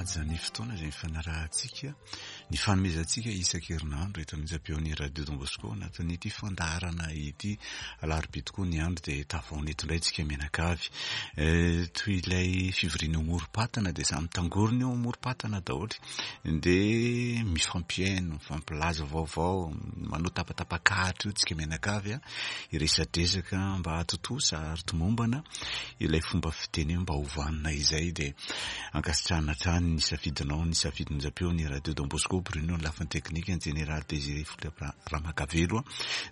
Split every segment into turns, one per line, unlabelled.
manaja ny fotoana izay nifanarahantsika, ny fanomezantsika isan-kerinandro eto amin'ny onjam-peon'ny Radio Don Bosco anatin'ity fandaharana ity. Alarobia tokoa ny andro dia tavaona eto indray tsika mianakavy. Eh, toy ilay fivoriana eo amorom-patana dia samy mitangorona eo amorom-patana daholo. Dia mifampihaino, mifampilaza vaovao, manao tapatapakahatra io tsika mianakavy hiresadresaka mba hahatontosa ary tomombana ilay fomba fiteny hoe mba ho vanona izay dia ankasitrahana hatrany ny safidinao, ny safidin'ny onjam-peo, ny Radio Don Bosco, Bruno ny lafiny teknika, ny Jeneraly Désiré Philippe Ramakavelo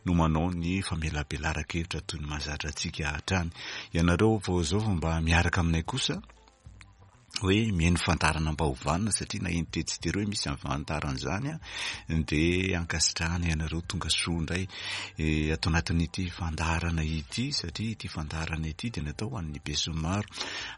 no manao ny famelabelaran-kevitra toy ny mahazatra antsika hatrany. Ianareo vao izao vao mba miaraka aminay kosa hoe mihaino fandaharana mba ho vanona satria naheno tetsy sy teroa hoe misy an'izany fandaharana izany dia ankasitrahana ianareo tonga soa indray eh, ato anatin'ity fandaharana ity satria ity fandaharana ity dia natao ho an'ny besinimaro.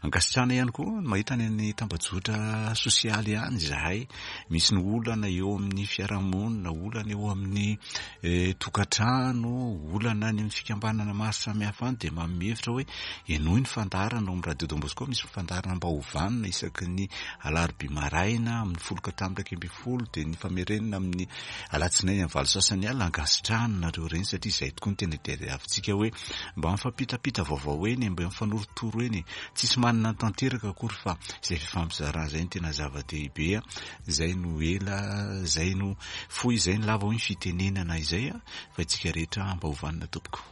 Ankasitrahana ihany koa ny mahita any amin'ny tambajotra sosialy ihany izahay. Misy ny olana eo amin'ny fiarahamonina, olana eo amin'ny eh, tokantrano, olana any amin'ny fikambanana maro samihafa any dia manome hevitra hoe henoy ny fandaharana ao amin'ny Radio Don Bosco, misy fandaharana mba ho vanona isaky ny alarobia maraina amin'ny folo ka hatramin'ny 11 dia ny famerenana amin'ny alatsinainy amin'ny valo sasany alina. Ankasitrahana nareo ireny satria izay tokoa no tena tadiavintsika hoe mba mifampitapita vaovao eny, mba mifanorotoro eny, tsisy manana ny tanteraka akory fa izay fifampizarana izay no tena zava-dehibe, izay no ela, izay no fohy, izay no lava hoy ny fitenenana izay fa isika rehetra mba ho vanona tompoko.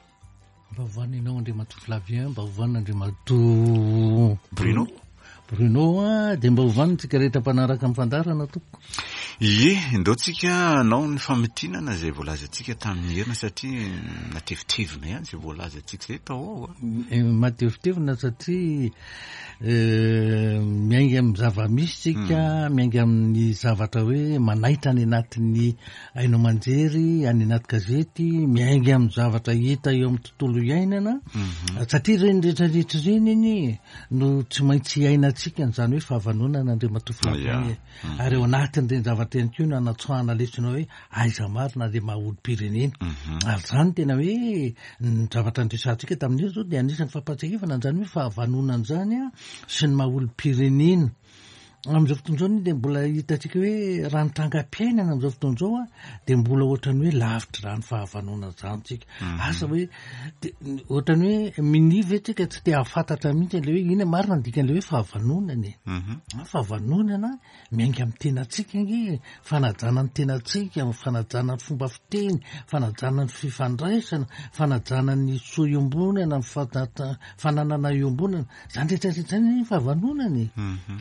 Mba ho vanona ianao Andriamatoa Flavien, mba ho vanona Andriamatoa
Bruno.
Bruno a, dia mba ho vanona tsika rehetra mpanaraka amin'ny fandaharana tompoko.
Ie, ndao tsika hanao ny famintinana izay voalazantsika tamin'ny heriny satria natevitevina ihany izay voalazantsika izay tao ao a.
Eh, matevitevina satria eh, miainga amin'ny zava-misy tsika, hmm. miainga amin'ny zavatra hoe manaitra any anatin'ny haino aman-jery, any anaty gazety, miainga amin'ny zavatra hita eo amin'ny tontolo iainana, mhm. satria ireny rehetrarehetra ireny anie no tsy maintsy iainantsika an'izany hoe fahavanonana Andriamatoa Flavien e. Mhm. Ary ao anatin'ireny zavatra ireny koa no anatsoahana lesona hoe aiza marina ilay maha olom-pirenena. Mhm. Ary izany tena hoe ny zavatra niresahantsika tamin'io izao dia anisan'ny fampahatsiahivana an'izany hoe fahavanonana izany sy ny maha olom-pirenena. Amin'izao fotoana izao anie dia mbola hitantsika hoe raha ny trangam-piainana amin'izao fotoana izao a, dia mbola ohatran'ny hoe lavitra izany fahavanonana izany tsika. Mhm. Asa hoe de- ohatran'ny hoe minia ve tsika tsy te hahafantatra mihitsy an'ilay hoe inona marina ny dikan'ilay hoe fahavanonana e. Mhm. Ah, Fahavanonana miainga amin'ny tenantsika ange e. Fanajana ny tenantsika, fanajana ny fomba fiteny, fanajana ny fifandraisana, fanajana ny soa iombonana, ny fanta- fananana iombonana. Zany rehetra rehetra zany anie fahavanonana e.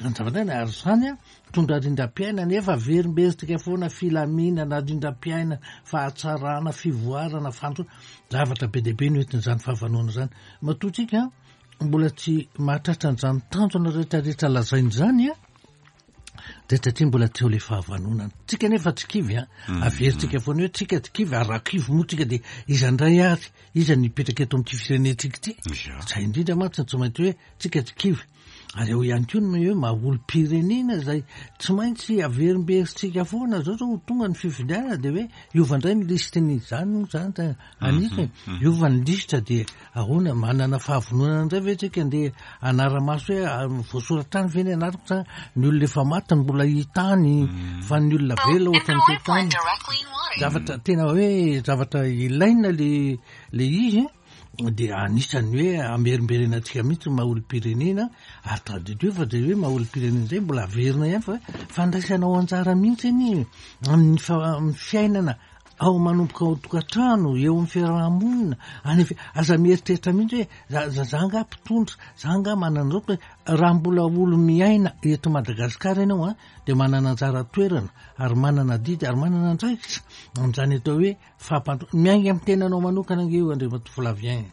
Zany zavatra zany ary zany an, mitondra rindram-piainana efa averimberitsika foana filaminana, rindram-piainana, fahatsarana, fivoarana, fandrosoana. Zavatra be dia be no entin'izany fahavanonana izany. Matoa tsika mbola tsy mahatratra an'izany tanjona rehetra rehetra lazaina izany an, dia satria mbola tsy eo ilay fahavanonana. Tsika nefa tsy kivy an, averintsika foana hoe tsika tsy kivy ary raha kivy moa tsika dia iza indray ary, iza no hipetraka eto amin'ity firenentsika ity? Izay indrindra mantsy no tsy maintsy hoe tsika tsy kivy. Ary eo ihany koa ny hoe maha olom-pirenena izay tsy maintsy averimberintsika foana zao zao ho tonga ny fifidianana dia hoe hiova indray ny lisitry ny izany moa izany ta anisany hiova ny lisitra dia ahoana manana fahavononana indray ve tsika andeha hanara-maso hoe ah, voasoratra any ve ny anarako sa ny olona efa maty no mbola hita any fa ny olona velona ohatran'ny tsy hita any zavatra tena hoe zavatra ilaina le le izy dia anisan'ny hoe amerimberenantsika mihitsy ny maha olom-pirenena ary tadidio fa dia hoe maha olom-pirenena izay mbola averina ihany fa fandraisanao anjara mihitsy anie amin'ny amin'ny fiainana ao manomboka ao an-tokantrano eo amin'ny fiaraha-monina any fi- aza mieritreritra mihitsy hoe za za za angaha mpitondra za angaha manana izao raha mbola olo miaina eto Madagasikara ianao a dia manana anjara toerana ary manana adidy ary manana andraikitra amin'izany atao hoe Fampandrosoana, miainga amin'ny tenanao manokana ange io Andriamatoa Flavien e.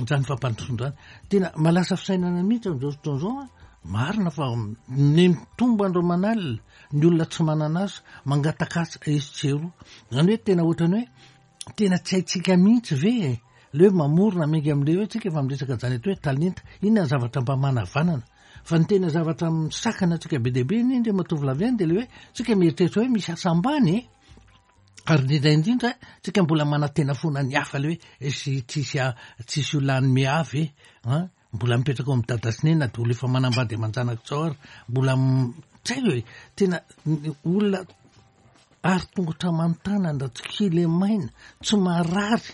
Izany fampandrosoana izany. Tena mahalasa fisainana mihitsy amin'izao fotoana izao an. Marina fa ny mitombo andro aman'alina, ny olona tsy manana asa, mangataka asa etsy sy eroa. Izany hoe tena ohatran'ny hoe tena tsy haintsika mihitsy ve e. Ilay hoe mamorona miainga amin'ilay hoe tsika efa miresaka an'izany atao hoe talenta. Inona ny zavatra mba manavanana? Fa ny tena zavatra misakana antsika be dia be anie Andriamatoa Flavien dia ilay hoe tsika mieritreritra hoe misy asa ambany e. Ary indrindra indrindra, tsika mbola manantena foana ny hafa le hoe sy tsisy tsisy olona hanome ahy ve an? Mbola mipetraka ao amin'ny dada sy neny na dia olona efa manambady aman-janaka izao ary mbola. Tsy haiko e, tena olona ary tongotra aman-tanana, tsy kilemaina, tsy marary,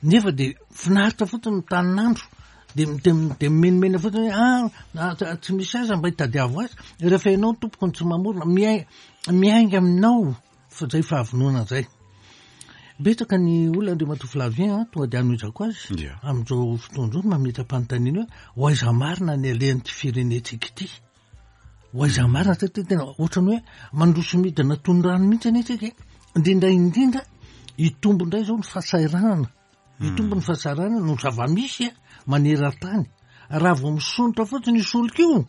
nefa dia finaritra fotsiny mitanin'andro, dia dia dia mimenomenona fotsiny hoe ah, ah tsy misy aza mba hitadiavo azy, rehefa ianao tompoko no tsy mamorona, miai- miainga aminao fa zay fahavonona zay. Betsaka ny olona Andriamatoa Flavien a, tonga dia anohizako azy, amin'izao fotoana izao mametra-panontaniana hoe ho aiza marina ny alehan'ity firenentsika ity? Ho aiza marina satria tena ohatran'ny hoe mandroso midina toy ny rano mihitsy anie tsika e. Indrindra indrindra hitombo indray izao ny fahasahiranana. Hitombo ny fahasahiranana no zava-misy a, maneran-tany. Raha vao misondrotra fotsiny io solika io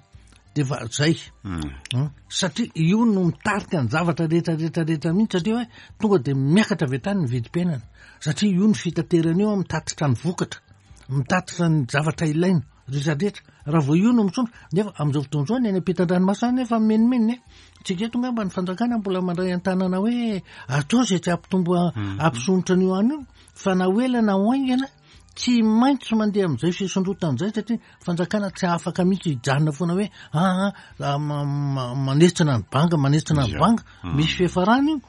dia efa zay. Hmm. Satria io no mitarika ny zavatra rehetra rehetra rehetra mihitsy satria hoe tonga dia miakatra avy hatrany ny vidim-piainana. Satria io ny fitaterana io mitatitra ny vokatra, mitatitra ny zavatra ilaina. Rehetra rehetra, raha vao io no misondrotra, nefa amin'izao fotoana izao ny any ampitan-dranomasina any efa mimenomenona e. Tsika eto angamba ny fanjakana mbola mandray an-tanana hoe atao izay tsy hampitombo mhm. hampisondrotra an'io any io, fa na ho ela na ho haingana tsy maintsy mandeha amin'izay fisondrotana izay satria fanjakana tsy afaka mihitsy hijanona foana hoe aa ah, ah, manetsina ny banga, manetsina ny banga, mhm. misy fiafarana io.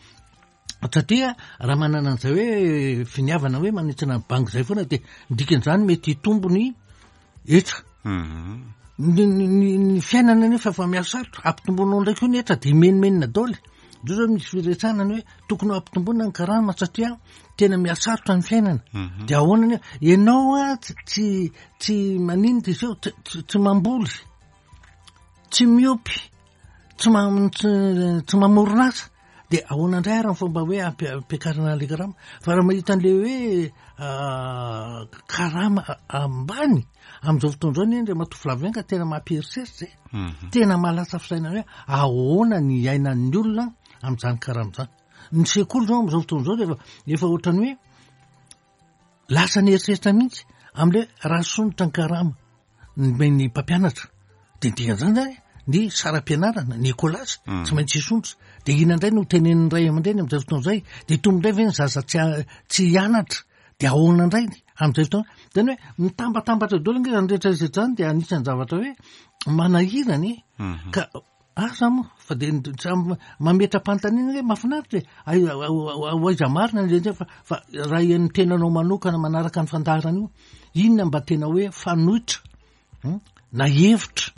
Satria raha manana an'izay hoe finiavana hoe manitsina ny banky izay foana dia ny dikan'izany mety hitombo ny hetra. Mhm. Ny, ny, ny, ny fiainana nefa efa mihasarotra, ampitomboinao indray koa ny hetra dia menomenona daholo. Zao zao misy firesahana ny hoe tokony ho ampitomboina ny karama satria tena mihasarotra ny fiainana. Mhm. Dia ahoana nefa? Ianao a tsy tsy tsy maninona izy io, tsy, tsy, tsy mamboly, tsy miompy, tsy ma- tsy, tsy mamorona asa. Dia ahoana indray ary ny fomba hoe ampiakarana an'ilay karama? Fa raha mahita an'ilay hoe karama ambany amin'izao fotoana izao anie Andriamatoa Flavien ka tena mampieritreritra e. Mhm. Tena mahalasa fisainana hoe ahoana ny iainan'ny olona amin'izany karama izany. Ny sekoly izao amin'izao fotoana izao dia efa efa ohatran'ny hoe Lasa nieritreritra mihitsy amin'ilay raha sonitra ny karama ny mpampianatra dia ny dikan'izany zany ny saram-pianarana, ny écolage mm. tsy maintsy hisondrotra. Dia inona indray no tenenin'ny ray aman-dreny amin'izay fotoana izay? Dia hitombo indray ve ny zaza tsy tsy hianatra? Dia ahoana indray amin'izay fotoana? Zany hoe mitambatambatra daholo ange izany rehetra rehetra izany dia anisan'ny zavatra hoe manahirana e. Mhm. Ka Asa moa fa dia samy mametra-panontaniana hoe mahafinaritra e, aiza ho aiza marina ny rehetra fa fa raha ny tenanao manokana manaraka ny fandaharana io, inona mba tena hoe fanoitra hmm, na hevitra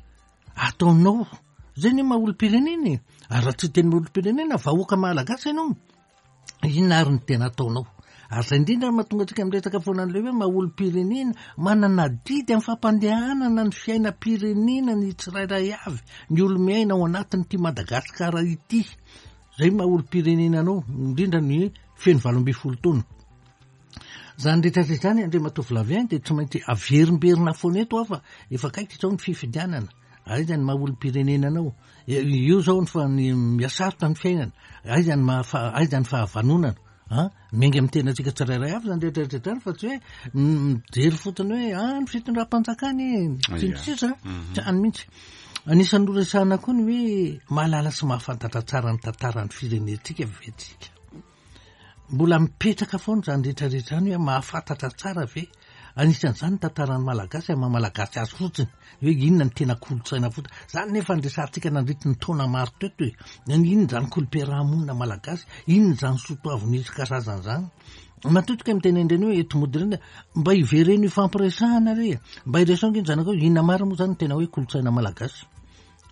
ataonao? Zay ny maha olom-pirenena e, ary raha tsy teny olom-pirenena vahoaka malagasy ianao. Inona ary no tena ataonao? Ary izay indrindra no mahatonga antsika miresaka foana an'ilay hoe maha olom-pirenena, manana adidy amin'ny fampandehanana ny fiainam-pirenena ny tsirairay avy, ny olo-miaina ao anatin'ity Madagasikara ity. Izay maha olom-pirenena anao, indrindra ny feno 18 taona. Izany rehetra rehetra izany, Andriamatoa Flavien, dia tsy maintsy averimberina foana eto aho fa efa akaiky izao ny fifidianana. Aiza ny maha olom-pirenena anao? Io zao ny fa ny mihasarotra ny fiainana. Aiza ny maha aiza ny fahavanonana? An? Miainga amin'ny tenantsika tsirairay avy izany rehetra rehetra izany fa tsy hoe mijery fotsiny hoe ah ny fitondram-panjakana e, sy ny sisa. Mhm. Tsy any mihitsy. Anisan'ny noresahana koa ny hoe mahalala sy mahafantatra tsara ny tantaran'ny firenentsika ve tsika? Mbola mipetraka foana izany rehetra rehetra izany hoe mahafantatra tsara ve? Anisan'izany ny tantaran'ny Malagasy amin'ny maha Malagasy azy fotsiny, hoe inona ny tena kolontsaina fotsiny. Izany nefa no resahantsika nandritry ny taona maro teto e. Inona izany kolom-piarahamonina malagasy? Inona izany soatoavina isan-karazany izany? Matetika miteny an'ireny hoe eto mody ireny, mba hivereno hifampiresahana re e. Mba hiresaho ange ny zanakao, inona marina moa izany ny tena hoe kolontsaina malagasy?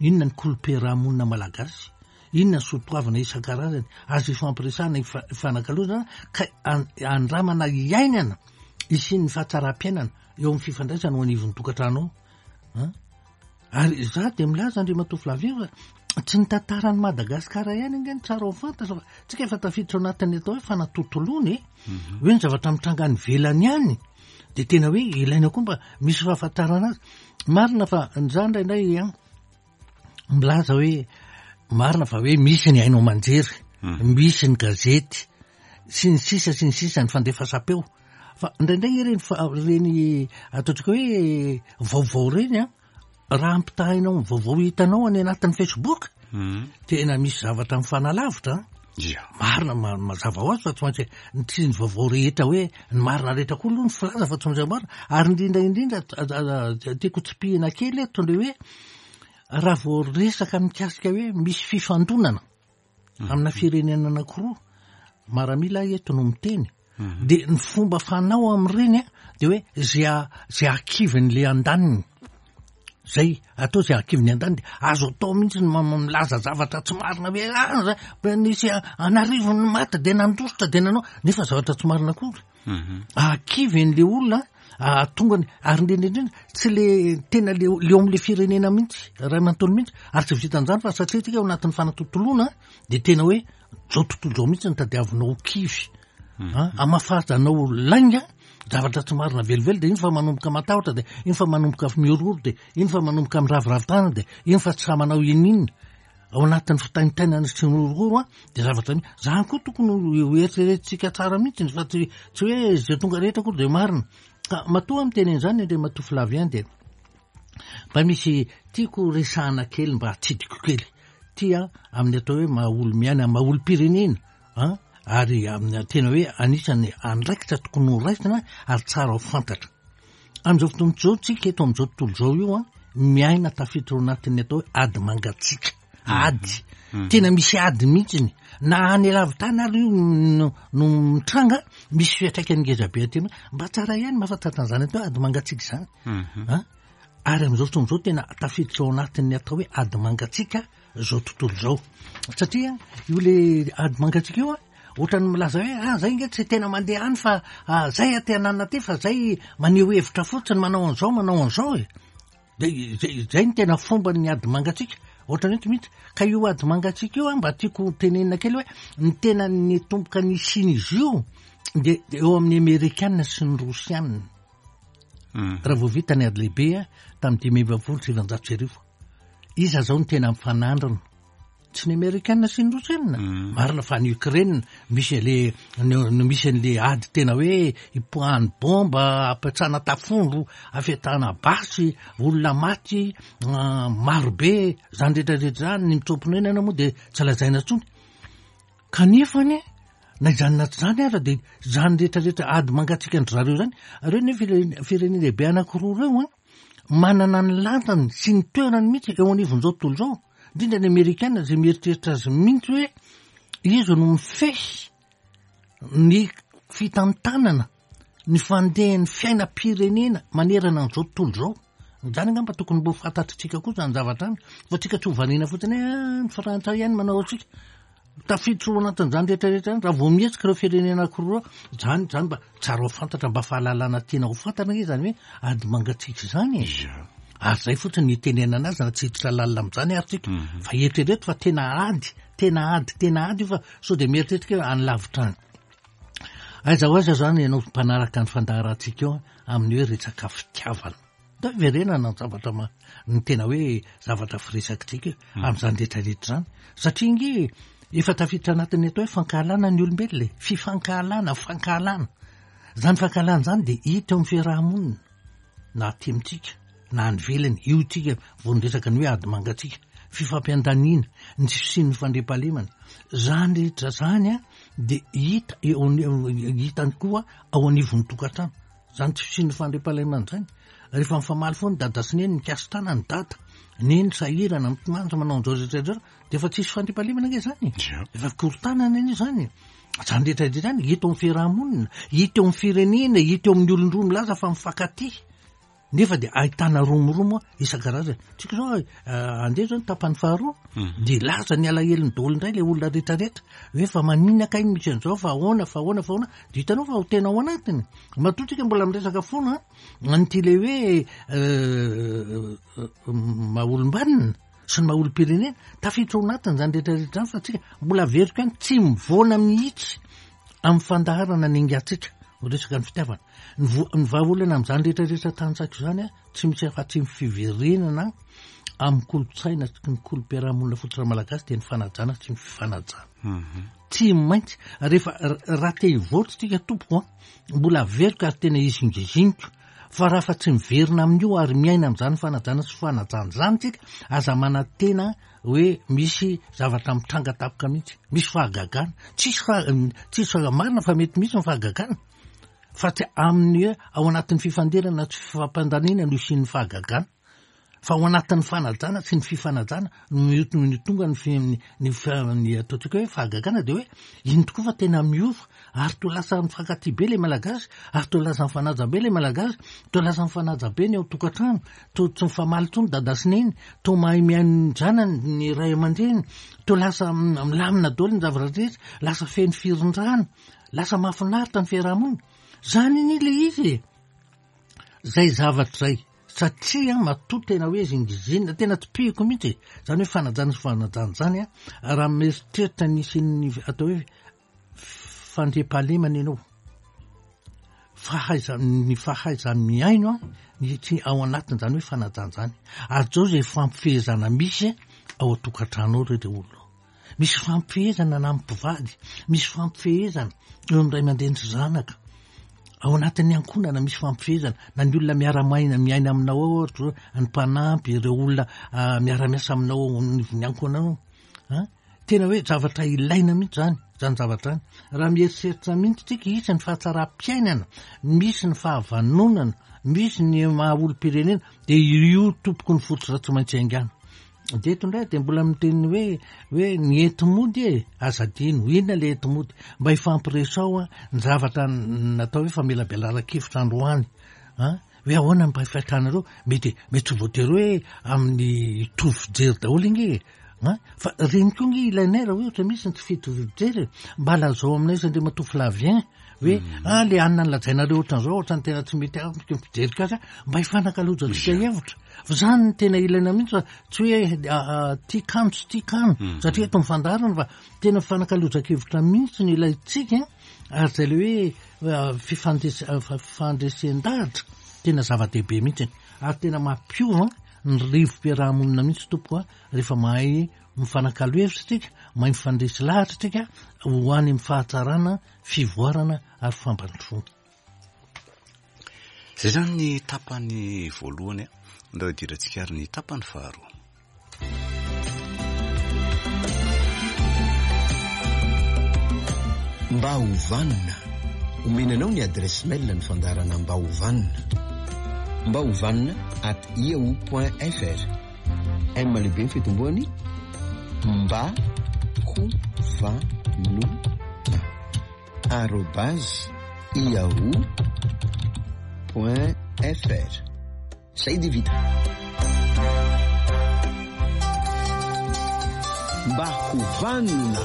Inona ny kolom-piarahamonina malagasy? Inona ny soatoavina isan-karazany azo ifampiresahana, ifanakalozana ka andramana iainana hisian'ny fahatsaram-piainana eo amin'ny fifandraisana ao anivon'ny tokantrano ao? Ary izaho dia milaza Andriamatoa Flavien fa tsy ny tantaran'i Madagasikara ihany ange no tsara ho fantatra fa tsika efa tafiditra ao anatin'ny atao hoe fanatontoloana e. Mhm. Hoe ny zavatra mitranga any ivelany any dia tena hoe ilaina koa mba misy fahafantarana azy. Marina fa ny za indraindray an milaza hoe marina fa hoe misy ny haino aman-jery, mhm. misy ny gazety sy ny sisa sy ny sisa ny fandefasam-peo. Fa indraindray ireny ireny ataontsika hoe vaovao ireny an, raha ampitahainao amin'ny vaovao hitanao any anatin'ny Facebook, mhm. tena misy zavatra mifanalavitra an.
Ia.
Marina, mazava ho azy fa tsy maintsy ny tsy ny vaovao rehetra hoe ny marina rehetra koa aloha ny filaza fa tsy maintsy marina. Ary indrindra indrindra tiako tsipihina kely eto le hoe Raha vao resaka mikasika hoe misy fifandonana amina firenena anankiroa, maramila eto no miteny, dia ny fomba fanao amin'ireny a, dia hoe zay a- zay hakivin'le andaniny. Zay, atao zay hakivin'ny andaniny dia azo atao mihitsy ny milaza zavatra tsy marina hoe ah, zay, mba nisy an'arivony ny maty dia nandositra dia nanao, nefa zavatra tsy marina akory. Ahakivy an'le olona, ahatonga ny, ary indrindra indrindra tsy le tena le le eo amin'le firenena mihitsy, ray aman-tony mihitsy, ary tsy vitan'izany fa satria tsika ao anatin'ny fanatontoloana dia tena hoe zao tontolo zao mihitsy no tadiavinao ho kivy. Hamafazanao lainga, zavatra tsy marina velively dia iny fa manomboka matahotra dia iny fa manomboka mihorohoro dia iny fa manomboka miraviravy tanana dia iny fa tsy sahy manao ininona. Ao anatin'ny fitaintainana sy ny horohoro an, dia zavatra mi-, zany koa tokony ho eritreretintsika tsara mihitsy fa tsy tsy hoe izay tonga rehetra akory dia marina. Ka matoa aho miteny an'izany Andriamatoa Flavien dia mba misy tiako resahana kely mba hatsidiko kely. Ty an, amin'ny atao hoe maha olo-miaina, maha olom-pirenena an, ary amin'ny tena hoe anisan'ny andraikitra tokony ho raisina ary tsara ho fantatra. Amin'izao fotoana izao tsika eto amin'izao tontolo izao io an, miaina tafiditra ao anatin'ny atao hoe ady mangatsiaka. Ady. Tena misy ady mihitsiny. Na any lavitany ary io no mitranga, misy fiantraikany ngeza be aty aminay. Mba tsara ihany mahafantatra an'izany atao hoe ady mangatsiaka izany. An? Ary amin'izao fotoana izao tena tafiditra ao anatin'ny atao hoe ady mangatsiaka izao tontolo izao. Satria io le ady mangatsiaka io an, ohatran'ny milaza hoe ah zay nge tsy tena mandeha any fa ah, zay aty ananona aty fa zay maneho hevitra fotsiny manao an'izao manao an'izao e. De zay, zay ny tena fomban'ny ady mangatsiaka. Ohatran'ny hoe tsy mihitsy. Ka io ady mangatsiaka io an, mba tiako tenenina kely hoe ny tena nitomboka nisian'izy io de eo amin'ny Amerikana sy ny Rosiana. Raha vao vita ny ady lehibe tamin'ny 1945. Iza zao no tena mifanandrina? Tsy ny Amerikana sy ny Rosiana. Marina fa any Ukraine misy an'le, no misy an'le ady tena hoe ipoahan'ny bomba, ampiatsana tafondro, afetahana basy, olona maty maro be, zany rehetra rehetra zany, ny mitsoa-ponenana moa de tsy lazaina intsony. Kanefa anie, na izany na tsy izany ara dia izany rehetra rehetra ady mangatsiaka an-dry zareo izany, ireo anie firenena lehibe anankiroa ireo an, manana ny lanjany sy ny toerany mihitsy eo anivon'izao tontolo izao, indrindra ny Amerikana izay mieritreritra azy mihitsy hoe izy no mifehy ny fitantanana ny fandehan'ny fiainam-pirenena manerana an'izao tontolo izao. Izany angamba tokony mbo fantatritsika koa izany zavatra izany, fa tsika tsy ho variana fotsiny hoe ah, ny frantsay ihany manao antsika. Tafiditra ao anatin'izany rehetra rehetra izany, raha vao mihetsika ireo firenena anankiroa ireo, izany, izany mba tsara ho fantatra, mba fahalalana tiana ho fantatra ange izany hoe ady mangatsiaka izany e. Ary izay fotsiny ny itenenana azy, na tsy hiditra lalina amin'izany ary tsika. Fa eritrereto fa tena ady, tena ady, tena ady io fa sao dia mieritreritra hoe any lavitra any. Aiza ho aiza izany ianao mpanaraka ny fandaharantsika eo amin'ny hoe resaka fitiavana. Ndao hiverenana ny zavatra ma-, ny tena hoe zavatra firesakitsika eo amin'izany rehetra rehetra izany. Satria ange efa tafiditra anatin'ny atao hoe fankahalana ny olombelona e. Fifankahalana, fankahalana. Izany fankahalana izany dia hita eo amin'ny fiaraha-monina. na aty amintsika na any ivelany, io tsika vao niresaka ny hoe ady mangatsiaka, fifampiandaniana, ny tsy fisian'ny fandriampahalemana, zany rehetra zany a de hita eo hita koa ao anivon'ny tokantrano, zany tsy fisian'ny fandriampahalemana zany, rehefa mifamaly foana dada sy neny, mikasi-tanana ny dada, neny sahirana, mitomany, manao an'izao rehetra izao, de efa tsisy fandriampahalemana ange zany e, efa fikorontanana anie zany e. Izany rehetra rehetra izany hita eo amin'ny fiaraha-monina, hita eo amin'ny firenena, hita eo amin'ny olon-droa milaza fa mifankatia. Nefa dia ahitana romoromo isan-karazany. Tsika izao eh, andeha izao ny tapany faharoa, mhm. dia laza ny alahelony daholo indray ilay olona rehetra rehetra. Hoe fa maninona kay misy an'izao, fa ahoana, fa ahoana, fa ahoana. Dia hitanao fa ho tena ao anatiny. Matoa tsika mbola miresaka foana an'ity ilay hoe eh, eh, maha olom-banona. sy ny maha olom-pirenena, tafiditra ao anatiny izany rehetra rehetra izany fa tsika mbola averiko ihany tsy mivoana mihitsy amin'ny fandaharana ny ingatsika miresaka ny fitiavana. Ny vo- ny vahaolana amin'izany rehetra rehetra tantsaiko izany a, tsy misy afa-tsy ny fiverenana amin'ny kolontsaina sy ny kolom-piarahamonina fototra malagasy dia ny fanajana sy ny fifanajana. Tsy maintsy rehefa raha te hivoatra tsika tompoko a, mbola averiko ary tena izingiziniko Fa raha fa tsy miverina amin'io ary miaina amin'izany fanajana sy fanajana izany tsika, aza manantena hoe misy zavatra mitranga tampoka mihitsy. Misy fahagagana. Tsisy fa, tsisy fa, marina fa mety misy ny fahagagana. Fa tsy amin'ny hoe ao anatin'ny fifandirana sy fifampandaniana no hisian'ny fahagagana. Fa ao anatin'ny fanajana sy ny fifanajana no no tonga ny fi ny ny ataontsika hoe fahagagana dia hoe iny tokoa fa tena miova ary toa lasa mifankatia be ilay Malagasy ary toa lasa mifanaja be ilay Malagasy, toa lasa mifanaja be ny ao an-tokantrano, toa tsy mifamaly intsony dada sy neny, toa mahay mihaino ny zanany ny ray aman-dreny, toa lasa milamina daholo ny zavatra rehetra, lasa feno firindrana, lasa mahafinaritra ny fiaraha-monina. Zany anie ilay izy e! Zay zavatra zay. Satria matoa tena hoe zingizinina, tena tsipihiko mihitsy e! Zany hoe fanajana sy fanajana zany an, raha mieritreritra ny hisian'ny atao hoe fandriampahalemana ianao, fahaiza- ny fahaiza-mihaino an, ny tsy ao anatin'izany hoe fanajana zany. Ary zao zay fampifehezana misy ao an-tokantrano ao re le olona. Misy fampifehezana na amin'ny mpivady, misy fampifehezana eo amin'ny ray aman-dreny sy zanaka. Ao anatin'ny ankohonana misy fampifehezana, na ny olona miara-maina miaina aminao ao ohatra hoe ny mpanampy, ireo olona ah, miara-miasa aminao ao anivon'ny ankohonanao. Ah, tena hoe zavatra ilaina mihitsy zany, zany zavatra zany. Raha mieritreritra mihitsy tsika, hisy ny fahatsaram-piainana, misy ny fahavanonana, misy ny maha olom-pirenena, dia io tompoko ny fototra tsy maintsy haingana. Dia eto indray dia mbola miteny hoe hoe ny enti-mody e, aza adino, inona ilay enti-mody? Mba hifampiresao an, ny zavatra natao hoe famelabelaran-kevitra androany an, hoe ahoana ny mba fiakanareo, mety mety tsy voatery hoe amin'ny hitovy fijery daholo ange e, an, fa ireny koa ange ilainay raha hoe ohatra misy ny tsy fitovy fijery e, mba lazao aminay izy Andriamatoa Flavien hoe ah le anona nolazainareo ohatran'izao ohatran'ny tena tsy mety amiko ny fijeriko azy mba hifanakalozantsika hevitra. Fa zany no tena ilaina mihitsy fa tsy hoe tia kano tsy tia kano mhm. satria eto mifandaharana fa tena fifanakalozan-kevitra mihitsy no ilaintsika ary zay le hoe fifandresen-dahatra tena zava-dehibe mihitsy ary tena mampiova ny rivo-piarahamonina mihitsy tompoko a rehefa mahay mifanakalo hevitra tsika mahay mifandresy lahatra tsika ho any amin'ny fahatsarana fivoarana ary fampandrosoana.
Izay izany ny tapany voalohany, andao hidirantsika ary ny tapany faharoa.
Mba ho vanona. Omena anao ny adresse mail ny fandaharana Mba ho vanona. Mba ho vanona at yahoo point fr. M lehibe ny fitomboany mba ho vanona arobase yahoo point fr. Zay dia vita. Mba ho vanona.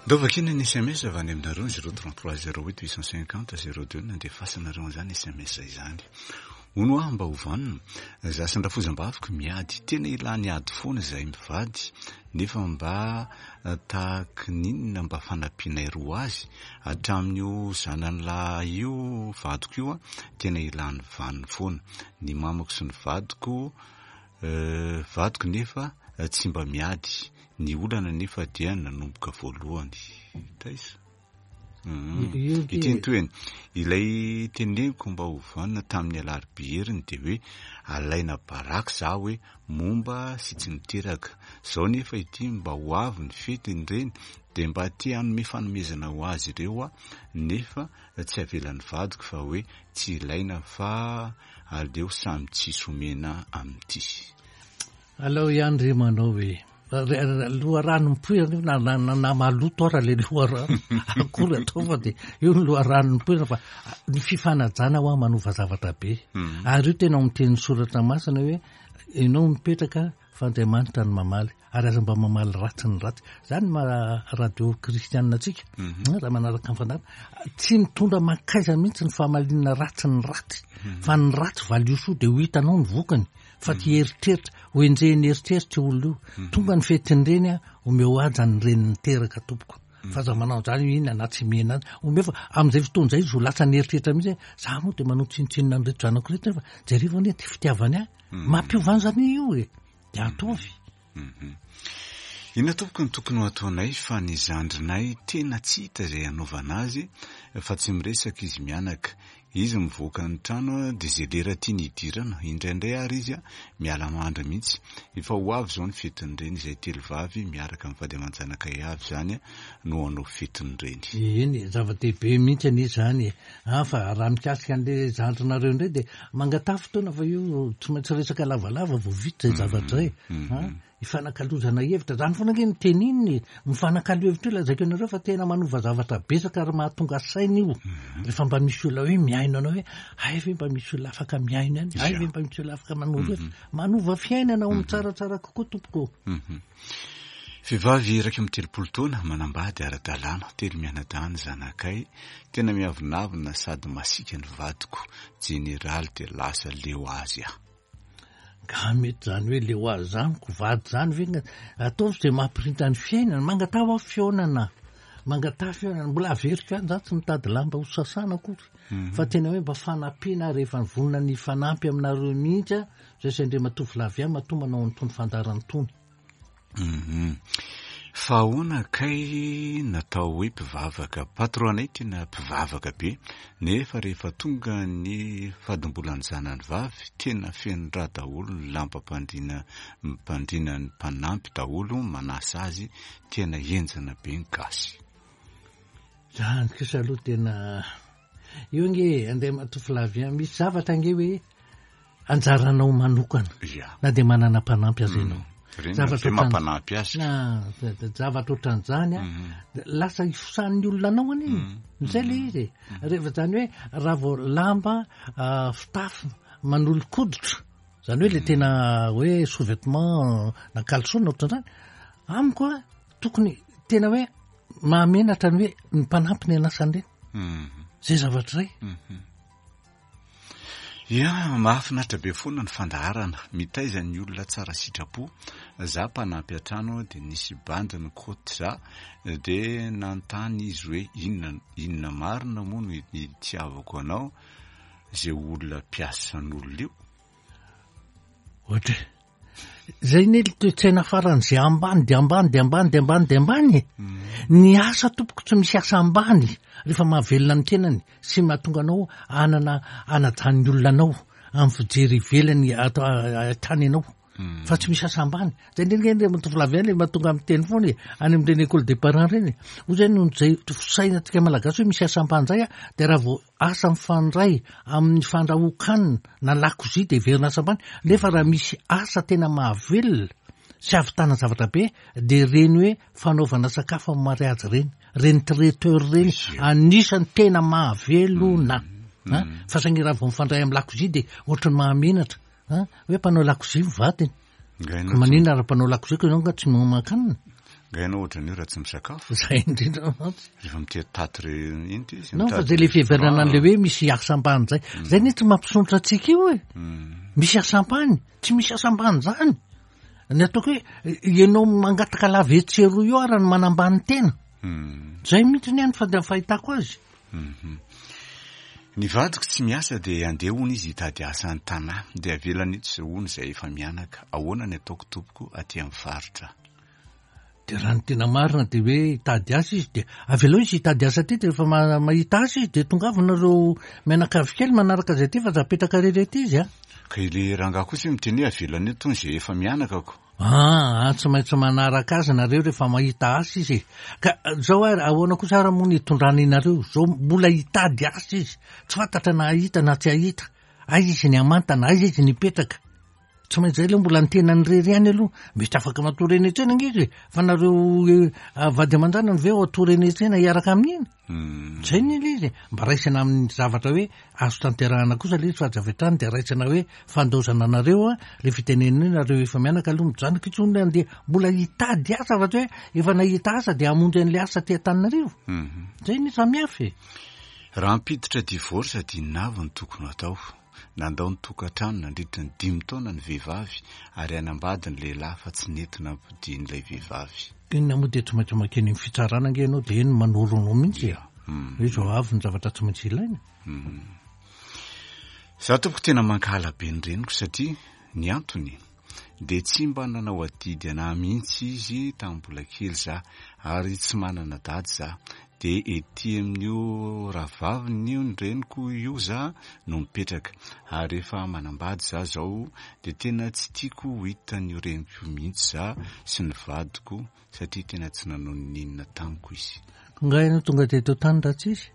Ndao vakiana ny sms avy any aminareo 033 08 850 02 nandefasanareo an'izany sms izany. Hono aho mba ho vanona, za sy ny rafozam-baviko miady, tena ilany ady foana izahay mivady, nefa mba tahaky ny inona mba fanampianay roa azy, hatramin'io zanany lahy io vadiko io tena ilany vaniny foana, ny mamako sy ny vadiko vadiko nefa tsy mba miady, Ny olana anefa dia nanomboka voalohany. Taiza? Ity ny tohiny. Ilay teneniko mba ho vanona tamin'ny alarobia heriny dia hoe alaina baraka za hoe momba sy tsy miteraka. Zao nefa ity mba ho avy ny fetiny ireny dia mba te hanome fanomezana ho azy ireo aho nefa tsy avelan'ny vadiko fa hoe tsy ilaina fa aleo samy tsisy omena amin'ity.
Alao ihany re manao e. Loharano mipoirana io na na na maloto ara le loharano akory atao fa de io ny loharano mipoirana fa ny fifanajana hoa manova zavatra be. Mhm. Ary io tena ao amin'ny tenin'ny soratra masina hoe ianao mipetraka fa Andriamanitra no mamaly ary aza mba mamaly ratsy ny ratsy. Zany maha radio kristianina antsika mhm. raha manaraka ny fandaharana tsy mitondra mankaiza mihitsy ny famalinana ratsy ny ratsy mhm. fa ny ratsy valio soa de ho hitanao ny vokany. fa ty eritreritra ho enjehin'ny eritreritra io olona io mhm. tonga ny fetin'ireny a omeo haja ny reny niteraka tompoko mhm. fa aza manao zany inona na tsy mihena azy omeo fa amin'izay fotoana izay izy ho lasa ny eritreritra mihitsy hoe za moa dia manao tsinontsinona an'ireto zanako ireto nefa jerevo anie ty fitiavany ahy mhm. mampiova an'izany io e de ataovy
Mhm. Inona tompoko no tokony ho ataonay fa ny zandrinay tena tsy hita izay hanaovana azy fa tsy miresaka izy mianaka. Izy mivoaka ny trano dia izay lera tiany hidirana, indraindray ary izy miala mandry mihitsy. Efa ho avy izao ny fetin'ny reny, izay telovavy miaraka amin'ny vady aman-janakay avy izany no hanao fetin'ny reny.
Eny e, zava-dehibe mihitsy anie izany e. An, fa raha mikasika an'ilay zandrinareo indray dia mangataha fotoana fa io tsy maintsy resaka lavalava vao vita izay zavatra izay. An, ifanakalozana hevitra, zany foana ange no tenenina e, mifanakalo hevitra io lazaiko anareo fa tena manova zavatra betsaka ary mahatonga saina io, rehefa mba misy olona hoe mihaino anao hoe hay ve mba misy olona afaka mihaino ihany, hay ve mba misy olona afaka manoro hevitra, manova fiainana ho amin'ny tsaratsara kokoa tompoko.
Vehivavy 31 taona, manambady ara-dalàna, telo mianadahy ny zanakay, tena miavonavona sady masiaka ny vadiko, jeneraly dia lasa leo azy aho.
Nga mety zany hoe leo azy zany ko vady zany ve nga ataovy zay mampirinta ny fiainana mangataha hoa fihaonana mangataha fihaonana mbola averiko ihany za tsy mitady lamba ho sasana akory mhm. fa tena hoe mba fanampiana rehefa nivonona ny fanampy aminareo mihitsy a zay sy andriamatoa Flavien matoa manao an'itony fandaharana itony
Hum. Fa ahoana kay natao hoe mpivavaka? Patron anay tena mpivavaka be, nefa rehefa tonga ny fadimbolan'ny zanany vavy, tena feno rà daholo ny lambam-pandriana mpandriana ny mpanampy daholo manasa azy, tena henjana be ny gasy.
Zany kosa aloha tena io ange Andriamatoa Flavien, misy zavatra ange hoe anjaranao manokana na dia manana mpanampy aza ianao.
Mm. Zavatra mampanampy azy.
Na zavatra ohatran'izany a, mm. lasa ifosan'ny olona anao anie. Mm. Izay le izy e. Rehefa izany hoe raha vao lamba ah, fitafy manolo-koditra, izany hoe le tena hoe sous-vêtement na caleçon na ohatran'izany, amiko a tokony tena hoe mahamenatra ny hoe ny mpanampy ny anasan'ireny. Zay zavatra izay.
Ya, mahafinaritra be foana ny fandaharana, mitaiza ny olona tsara sitrapo, za mpanampy an-trano dia nisy bandy nikaoty za dia nanontany izy hoe inona inona marina moa no itiavako anao ze olona mpiasan'olona io?
Ohatra e! Zay ne le toe-tsaina faran'izay ambany de ambany de ambany de ambany de ambany e. Ny asa tompoko tsy misy asa ambany rehefa mahavelona ny tenany sy mahatonga anao hanana hanajan'ny olona anao amin'ny fijery ivelany atao ahitany anao fa tsy misy asa ambany. Zay indrindra nge le tovolahy avy any le mahatonga miteny foana e, any amin'ireny école des parents ireny e. Hoy zay noho izay fisainantsika malagasy hoe misy asa ambany zay a, de raha vao Asa mifandray amin'ny fandrahoan-kanina na lakozia dia heverina asa ambany, nefa raha misy asa tena mahavelona sy ahavitana zavatra be dia ireny hoe fanaovana sakafo amin'ny mariazy ireny, ireny traiteur ireny, anisan'ny tena mahavelona. Mm. Mm. Fa saingy raha vao mifandray amin'ny lakozia dia ohatran'ny mahamenatra. Hoe mpanao lakozia ny vadiny. Ka maninona raha mpanao lakozia ko ianao nga tsy mihoman-kanina?
Nga ianao ohatran'io raha tsy misakafo?
Zay indrindra mantsy.
Rehefa mitety taty re iny ty
izy. Non fa zay le fiheverana an'le hoe misy asa ambany zay. Mm. Zay anie tsy mampisondrotra antsika io e. Mm. Misy asa ambany, tsy misy asa ambany zany. Ny ataoko hoe ianao mangataka lava etsy sy eroa io ara no manambany tena. Mm. Zay mihitsy ny any fa fahitako azy.
Mhm. Ny vadiko tsy miasa dia andeha hono izy hitady asa any Tanà, dia avelany eto izao hono izay efa mianaka. Ahoana ny ataoko tompoko aty amin'ny faritra?
Dia raha ny tena marina dia hoe hitady asa izy dia avelao izy hitady asa aty dia rehefa mahita asa izy dia tongava nareo mianakavy kely manaraka azy aty fa aza apetraka irery aty izy a.
Ka ilay rangahy kosa miteny hoe avelany eto hono izay efa mianaka ko.
Aa tsy maintsy manaraka azy nareo rehefa mahita asa izy e. Ka zao ary ahoana kosa ary moa ny hitondrana inareo zao mbola hitady asa izy, tsy fantatra na hahita na tsy hahita, aiza izy ny hamantana, aiza izy ny hipetraka. Tsy maintsy zay aloha mbola ny tenany irery ihany aloha, mety afaka matory eny an-tsena ange izy e, fa nareo vady aman-janany ve ao hatory eny an-tsena hiaraka amin'iny? Zay anie le izy e, mba raisina amin'ny zavatra hoe azo tanterahana kosa le izy fa aza avy hatrany de raisina hoe fandaozana anareo a, le fitenenana hoe nareo efa mianaka aloha mijanona intsony le andeha mbola hitady asa fa tsy hoe efa nahita asa de hamonjy an'le asa aty Antananarivo. Zay anie samihafa e.
Raha hampiditra divorce dia inona avy no tokony ho atao? Nandao ny tokantrano nandritra ny dimy taona ny vehivavy ary hanambady ny lehilahy fa tsy nety nampodian'ilay vehivavy.
Inona moa dia tsy maintsy mankeny amin'ny fitsarana ange ianao dia eny manoro anao mihitsy e. Hoe izao avy ny zavatra tsy maintsy ilaina.
Za tompoko tena mankahala be ny reniko satria ny antony. Dia tsy mba nanao adidy anah mihitsy izy tamin'ny mbola kely za, ary tsy manana dady za. Dia ety amin'io rahavaviny io ny reniko io za no mipetraka. Ary efa manambady za zao dia tena tsy tiako ho hitan'io reniko io mihitsy za sy ny vadiko satria tena tsy nanao n'inona tamiko izy.
Nga ianao tonga teto tany raha tsy izy?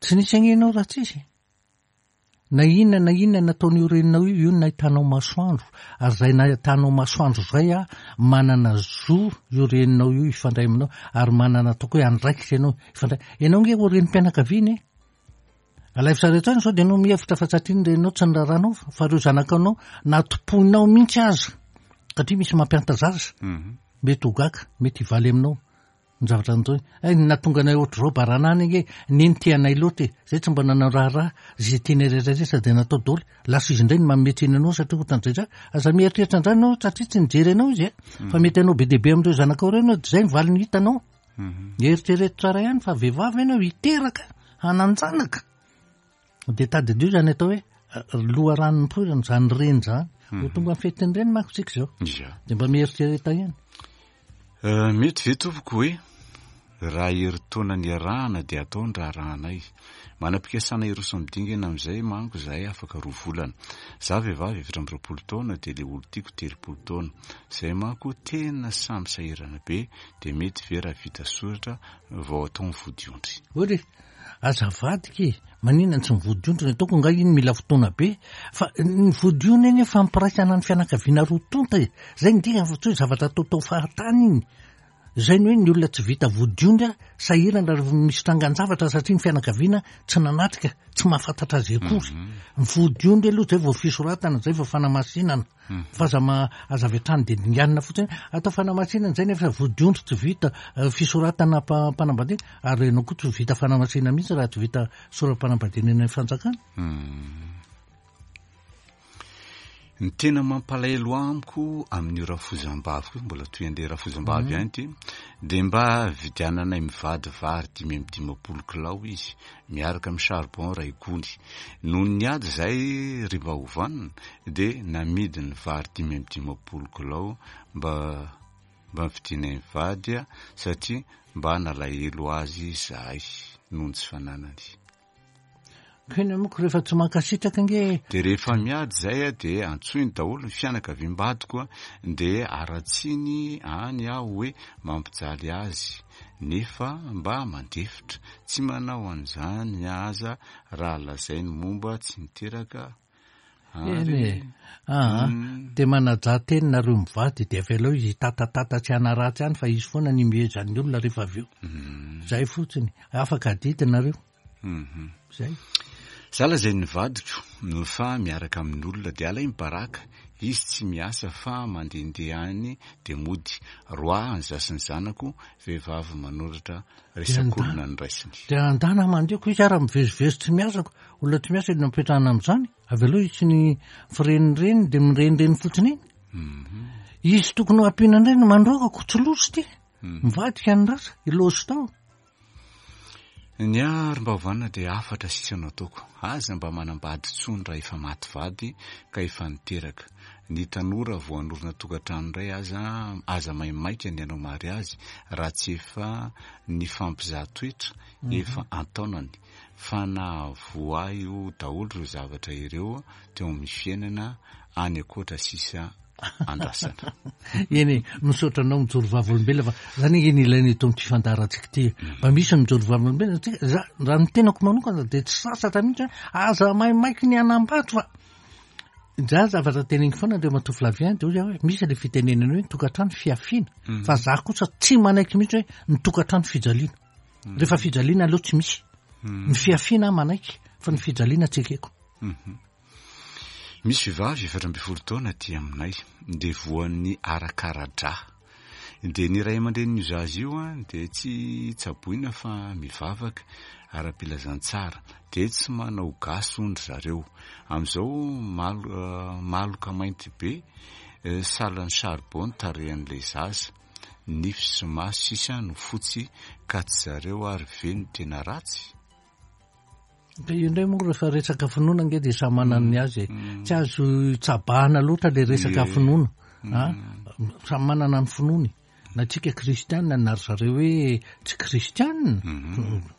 Tsy nisy ange ianao raha tsy izy e. Na inona na inona nataon'io reninao io, io no nahitanao masoandro, ary izay nahitanao masoandro izay a, manana zo io reninao io hifandray aminao, ary manana ataoko hoe andraikitra ianao hifandray. Ianao ange ho renim-pianakaviana e. Alaivo sary an-tsaina sao dia ianao mihevitra fa satria ny reninao tsy niraharahanao fa ireo zanakanao na tompoinao mihitsy aza, satria misy mampianta zaza, mety ho gaga, mety hivaly aminao. Ny zavatra nataony, hay ny nahatonga anay ohatr'izao baranany ange, neny tia anay loatra e, zay tsy mba nanao raharaha, ze tianay rehetra rehetra dia natao daholo, lasa izy indray no manome tsiny anao satria ohatran'izay zay, aza mieritreritra an'izany ianao satria tsy nijery anao izy e, fa mety hanao be dia be amin'ireo zanakao ireo ianao dia zay ny valiny hitanao, eritrereto tsara ihany fa vehivavy ianao hiteraka, hanan-janaka. Dia tadidio izany atao hoe loharano nipoirana izany reny izany. Ho tonga amin'ny fetin'ny reny manko tsika izao. Dia mba mieritrereta ihany.
Mety ve tompoko hoe raha herintaona niarahana dia atao ny raharahanay. Manam-pikasana hiroso amin'ny dingana amin'izay manko izahay afaka roa volana. Za vehivavy 24 taona dia le olon-tiako 30 taona. Izay manko tena samy sahirana be dia mety ve raha vita soratra vao atao ny vodiondry.
Ory, Aza avadika e! Maninona tsy ny vodiondry no ataoko angaha iny mila fotoana be? Fa ny vodiondry anie fampiraisana ny fianakaviana roa tonta e! Zay ny dikany fa tsy hoe zavatra ataotao fahatany iny. Zay ny hoe ny olona tsy vita vodiondry sahirana rehefa misy trangan-javatra satria ny fianakaviana tsy nanatrika, tsy mahafantatra azy akory. Ny vodiondry aloha zay vao fisoratana, zay vao fanamasinana. Fa aza ma, aza avy hatrany dia dinganina fotsiny hoe atao fanamasinana izay nefa vodiondry tsy vita fisoratana mpanambadiana ary ianao koa tsy vita fanamasinana mihitsy raha tsy vita sora-panambadiana eny amin'ny fanjakana.
Ny tena mampalahelo amiko amin'io rafozam-baviko io, mbola toy an'ilay rafozam-bavy ihany ity, dia mba vidiananay mivady vary 55 kilao izy, miaraka amin'ny charbon iray gony. Nony niady izahay ry mba ho vanona dia namidy ny vary 55 kilao mba mba nividianay mivady satria mba nalahelo azy izahay noho ny tsy fananany.
Keny amiko rehefa tsy mankasitraka ange.
Dia rehefa miady izay dia antsoiny daholo ny fianakaviam-badiko dia haratsiany any aho hoe mampijaly azy nefa mba mandefitra, tsy manao an'izany aza raha lazainy momba tsy niteraka
Eny e! Aa, dia manajà teny nareo mivady dia avelao izy hitatatata tsy hanaratsy any fa izy foana ny imehezan'ny olona rehefa avy eo. Zay fotsiny. Afaka adidy nareo. Zay.
Za lazain'ny vadiko fa miaraka amin'olona dia alainy baraka, izy tsy miasa fa mandehandeha any dia mody, roahany za sy ny zanako, vehivavy manoratra resak'olona ny raisiny.
Dia andana mandeha ko izy ara mivezivezy tsy miasa ko, olona tsy miasa inona mipetrahana amin'izany? Avelao izy sy ny firenireny dia mirenireny fotsiny eny. Izy tokony ho ampiana indray no mandroaka ko tsy loza ity. Mivadika ny rasa, i loza tao.
Ny ahy ry mba hovanina dia hafatra sisa no ataoko. Aza mba manambady intsony raha efa maty vady ka efa niteraka. Ny tanora vao hanorina tokantrano indray aza aza maimaika ny hanao mariazy raha tsy efa nifampizaha toetra efa an-taonany. Fa nahavoa ahy io daholo ireo zavatra ireo teo amin'ny fiainana any ankoatra sisa andrasana.
Eny e, misaotra anao mijoro vavolombelona fa zany ange ny ilaina eto amin'ity fandaharantsika ity. Mba misy mijoro vavolombelona tsika, za raha ny tenako manokana dia tsy sasatra mihitsy hoe aza maimaiky ny hanambady fa za zavatra teneniko foana Andriamatoa Flavien dia hoy aho hoe misy ilay fitenenana hoe ny tokantrano fiafiana fa za kosa tsy manaiky mihitsy hoe ny tokantrano fijaliana. Rehefa fijaliana aleo tsy misy. Ny fiafiana aho manaiky fa ny fijaliana tsy ekeko.
Misy vehivavy 14 taona aty aminay dia voan'ny arakara-drà. Dia ny ray aman-drenin'io zaza io dia tsy tsaboina fa mivavaka ara-pilazantsara. Dia tsy manao gasy hono ry zareo. Amin'izao maloka mainty be sahalan'ny charbon ny tarehan'ilay zaza. Nify sy maso sisa no fotsy ka tsy zareo ary ve no tena ratsy?
Ka io indray moa rehefa resaka finoana ange dia samy manana ny azy e. Tsy azo tsabahana loatra le resaka finoana. A? Samy manana ny finoany. Na tsika kristianina na ry zareo hoe tsy kristianina.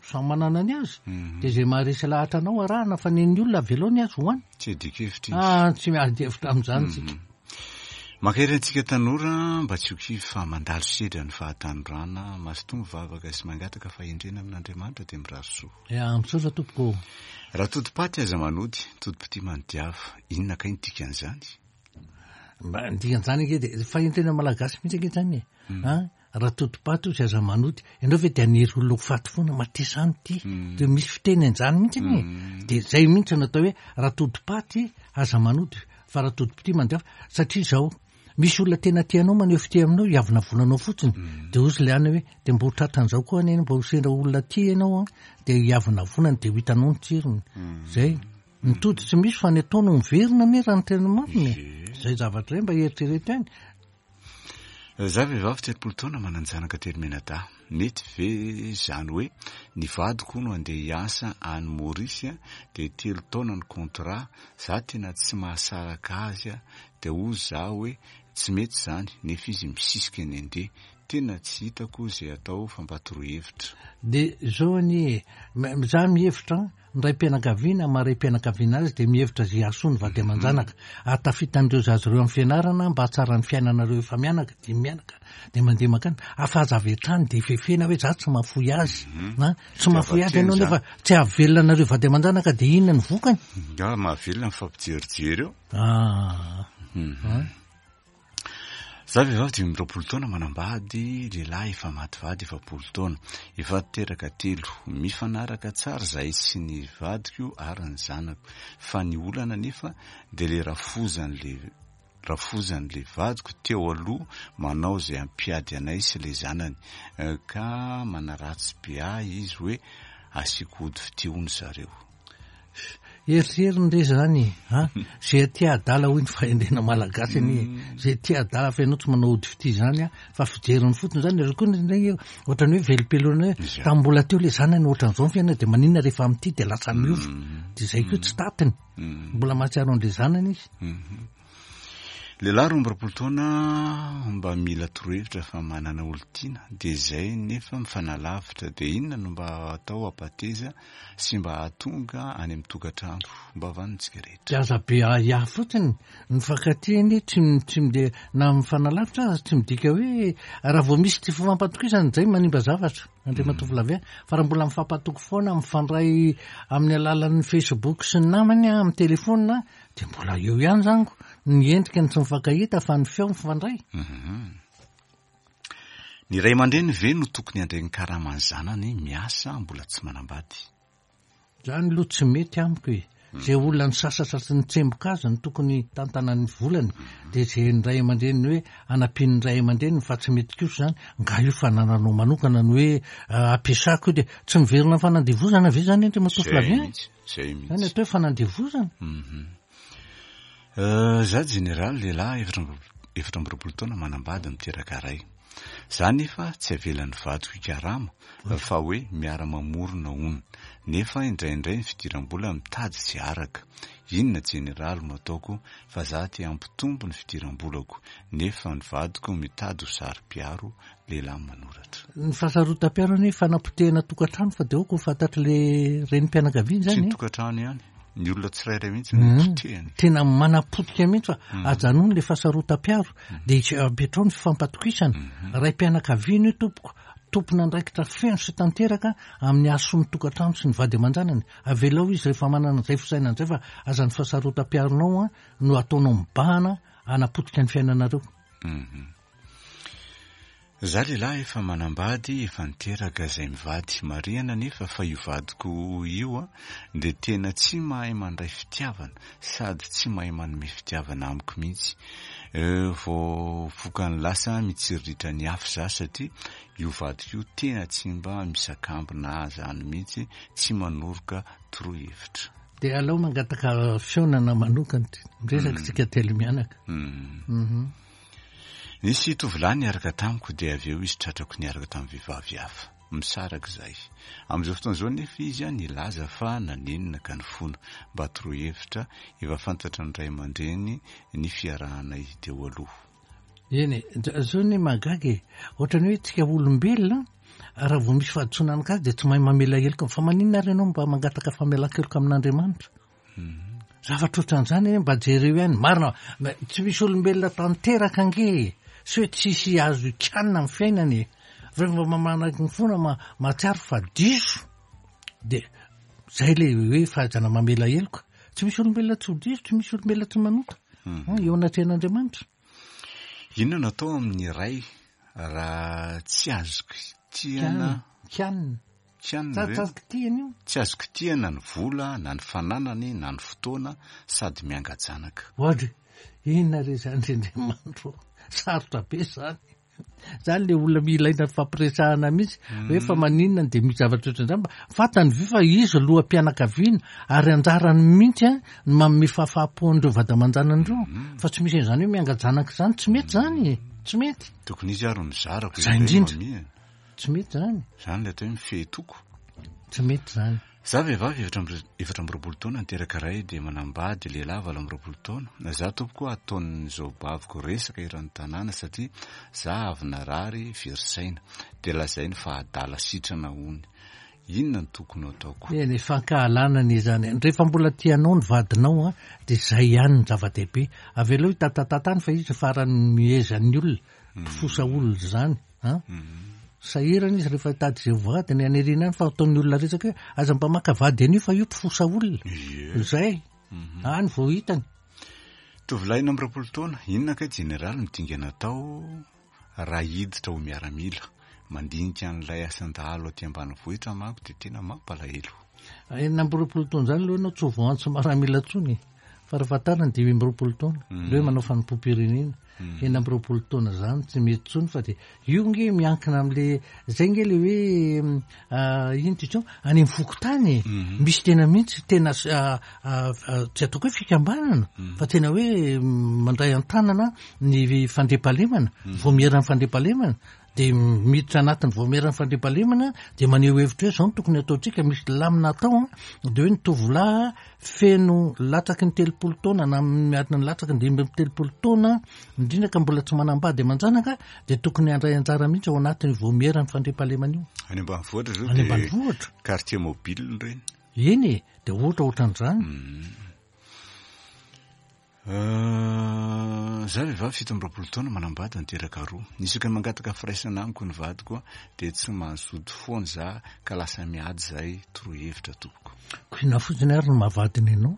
Samy manana ny azy. Dia izay maharesy lahatra anao arahana fa ny an'ny olona avelao ny azy hoany.
Tsy adikevitra izy.
Ah, tsy miady hevitra amin'izany tsika.
Mankahery antsika tanora mba tsy ho kivy fa mandalo sedra ny fahatanorana, mazotoa mivavaka sy mangataka fahendrena amin'Andriamanitra dia mirary soa.
Ya, misaotra tompoko ô.
Raha todi-paty aza manody, todi-pitia manodiava. Inona kay ny dikan'izany?
Mba ny dikan'izany ange dia fahendrena malagasy mihitsy ange izany e. An, raha todi-paty ozy aza manody. Ianao ve dia hanery olona ho faty foana, matesa any ity. Dia misy fiteny an'izany mihitsy anie. Dia izay mihitsy no atao hoe raha todi-paty aza manody fa raha todi-pitia manodiava. Satria izao, misy olona tena tia anao maneho fitia aminao, hiavonavonanao fotsiny. Dia hozy ilay anona hoe dia mba ho tratran'izao koa anie, mba ho sendra olona tia ianao an, dia hiavonavonany dia ho hitanao ny tsirony. Izay. Ny tody tsy misy fa ny atao no miverina anie raha ny tena marina e. Izay zavatra izay mba eritrereto ihany.
Za vehivavy 30 taona manan-janaka telo mianadahy. Mety ve izany hoe ny vadiko hono andeha hiasa any Maurice dia telo taona ny contrat, za tena tsy mahasaraka azy dia hozy za hoe tsy mety izany nefa izy misisika ny andeha. Tena tsy hitako izay atao fa mba toroy hevitra.
Dia izao anie e, za mihevitra Ny raim-pianakaviana, maha raim-pianakaviana azy dia mihevitra izay hahasoa ny vady aman-janaka, hahatafita an'ireo zaza ireo amin'ny fianarana mba hahatsara ny fiainanareo efa mianaka, dimy mianaka, dia mandeha mankany, afa aza avy hatrany dia fefena hoe za tsy mahafoy azy, na tsy mahafoy azy ianao nefa tsy hahavelona anareo vady aman-janaka dia inona ny vokany?
Nga mahavelona mifampijerijery eo.
Ah.
Za vehivavy 25 taona manambady lehilahy efa maty vady 40 taona. Efa teraka telo. Mifanaraka tsara zahay sy ny vadiko ary ny zanako. Fa ny olana anefa dia le rafozan'le rafozan'le vadiko teo aloha manao izay hampiady anay sy le zanany. Ka manaratsy be ahy izy hoe asiako ody fitia hono zareo.
Eritreriny re zany e, a! Zay aty adala hoy ny fahendrena malagasy anie e. Zay aty adala fa ianao tsy manao ody fitia zany a, fa fijeriny fotsiny zany, ary koa indraindray ohatran'ny hoe velom-pelona hoe tamin'ny mbola teo le zanany ohatran'izao ny fiainana dia maninona rehefa amin'ity dia lasa miova. Dia zay koa tsy tatiny. Mbola mahatsiaro an'le zanany izy.
Lehilahy 22 taona mba mila torohevitra fa manana olon-tiana dia izay nefa mifanalavitra dia inona no mba atao hampateza sy mba hahatonga any amin'ny tokantrano mba vanontsika rehetra.
Dia aza be ahiahy fotsiny, ny mifankatia anie tsy tsy mide na mifanalavitra aza tsy midika hoe raha vao misy tsy fifampatokisana izay manimba zavatra Andriamatoa Flavien fa raha mbola mifampatoky foana mifandray amin'ny alalan'ny Facebook sy ny namany amin'ny telephone Dia mbola eo ihany zany ko, ny endrika no tsy mifankahita fa ny feo mifandray.
Ny ray aman-dreny ve no tokony handray ny karaman'ny zanany miasa mbola tsy manambady?
Zany aloha tsy mety amiko e. Zay olona nisasatra sy nitsemboka azy no tokony hitantana ny volany, dia izay ny ray aman-dreniny hoe hanampian'ny ray aman-dreniny fa tsy mety kosa izany, nga io fanananao manokana ny hoe ampiasako io dia tsy miverina amin'ny fanandevozana ve zany Andriamatoa
Zay
Flavien?
mihitsy. Zay mihitsy.
Zany atao hoe fanandevozana.
Mhm. Za jeneraly lehilahy 24 taona manambady miteraka ray. Za nefa tsy avelan'ny vadiko hikarama fa hoe miara-mamorona hono. Nefa indraindray ny fidiram-bola mitady tsy araka. Inona jeneraly no ataoko fa za te hampitombo ny fidiram-bolako nefa ny vadiko mitady ho saro-piaro lehilahy manoratra.
Ny fahasarotam-piaro anie fanapotehana tokantrano fa dia aoka ho fantatr'le renim-pianakaviana
Tsy
izany
ny
e.
tokantrano ihany, ny olona tsirairay mihitsy no potehiny.
Tena manapotika mihitsy fa ajanony le fahasarotam-piaro dia apetrao ny fifampatokisana. Raim-pianakaviana io tompoko, tompon'andraikitra feno sy tanteraka amin'ny hahasoa ny tokantrano sy ny vady aman-janany. Avelao izy rehefa manana izay fisainana izay fa aza ny fahasarotam-piaronao no ataonao mibahana hanapotika ny fiainanareo.
Za lehilahy efa manambady, efa niteraka zay mivady. Marihana anefa fa io vadiko io a dia tena tsy mahay mandray fitiavana sady tsy mahay manome fitiavana amiko mihitsy. Vao vokany lasa mitsiriritra ny afo za satria io vadiko io tena tsy mba misakambina ahy zany mihitsy, tsy manoroka torohevitra.
Dia aleo mangataka fihaonana manokana, miresaka tsika telo mianaka.
Nisy tovolahy niaraka tamiko dia avy eo izy tratrako niaraka tamin'ny vehivavy hafa. Misaraka izahay. Amin'izao fotoana izao anefa izy nilaza fa nanenina ka nifona. Mba toroy hevitra, efa fantatra ny ray aman-dreny ny fiarahanay teo aloha.
Eny e, zao anie mahagaga e, ohatran'ny hoe tsika olombelona raha vao misy fahadisoana anankiray dia tsy mahay mamela heloka, fa maninona ary ianao mba mangataka famelan-keloka amin'Andriamanitra? Zavatra ohatran'izany anie mba jereo ihany, marina tsy misy olombelona tanteraka ange e, tsy hoe tsisy azo ikanina amin'ny fiainana e, rehefa mba manaiky ny fona mahatsiaro fa diso dia zay le hoe fahaizana mamela heloka, tsy misy olombelona tsy ho diso, tsy misy olombelona tsy manota eo anatrehan'Andriamanitra.
Inona no atao amin'ny ray raha tsy azo kitihana?
Kianina.
Kianina ve?
Tsy azo kitihana io.
Tsy azo kitihana ny vola na ny fananany na ny fotoana sady mianga-janaka.
Oadry, inona re izany ry Andriamanitro ô? Sarotra be izany. Izany le olona ilaina fampiresahana mihitsy hoe fa maninona no dia misy zavatra ohatran'izany mba fantany ve fa izy loham-pianakaviana ary anjarany mihitsy an ny manome fahafaham-po an'ireo vady aman-janany ireo fa tsy misy an'izany hoe mianga-janaka izany, tsy mety izany e, tsy mety.
Tokony izy ary no mizara ko
Izay indrindra. Tsy mety izany.
Izany ilay atao hoe mifehy toko.
Tsy mety izany.
Za vehivavy 24 taona niteraka ray dia manambady lehilahy 28 taona. Za tompoko ataon'ny zaobaviko resaka eran'ny tanàna satria za avy narary very saina. Dia lazainy fa adala sitrana hony. Inona no tokony ho ataoko?
Eny, fankahalana anie izany. Rehefa mbola tianao ny vadinao dia izay ihany ny zava-dehibe. Avelao hitatatata any fa izy farany mihezan'ny olona, mpifosa olona izany. An? Sahirana izy rehefa hitady izay ho vadiny any aoriana any fa ataon'ny olona resaka hoe aza mba maka vady an'io fa io mpifosa olona. Izay. Any vao hitany.
Tovolahy 21 taona, inona kay jeneraly no dingana atao raha hiditra ho miaramila? Mandinika an'ilay asan-dahalo aty ambanivohitra manko dia tena mampalahelo.
26 taona izany aloha ianao tsy ho voantso miaramila intsony e. Farafahatarany 25 taona. Ilay hoe manao fanompoam-pirenena. 26 taona izany tsy mety intsony fa dia io nge miankina amin'le zay nge le hoe ino ty intsony any amin'ny fokontany e. Misy tena mihitsy tena tsy ataoko hoe fikambanana fa tena hoe mandray an-tanana ny fandriampahalemana, vaomieran'ny fandriampahalemana dia miditra anatin'ny vaomieran'ny fandriampahalemana dia maneho hevitra hoe izao no tokony hataontsika, misy lamina atao an, dia hoe ny tovolahy feno latsaky ny 30 taona na miadina ny latsaky ny 35 taona indrindra ka mbola tsy manambady aman-janaka dia tokony handray anjara mihitsy ao anatin'io vaomieran'ny fandriampahalemana io.
Any ambanivohitra izao
Any ambanivohitra.
quartier mobile ireny.
Eny e, dia ohatra ohatran'izany.
Za vehivavy 27 taona manambady niteraka roa. Isaky ny mangataka firaisana amiko ny vadiko dia tsy mazoto foana za ka lasa miady zahay torohevitra tompoko.
Ko inona fotsiny ary no mahavadiny anao?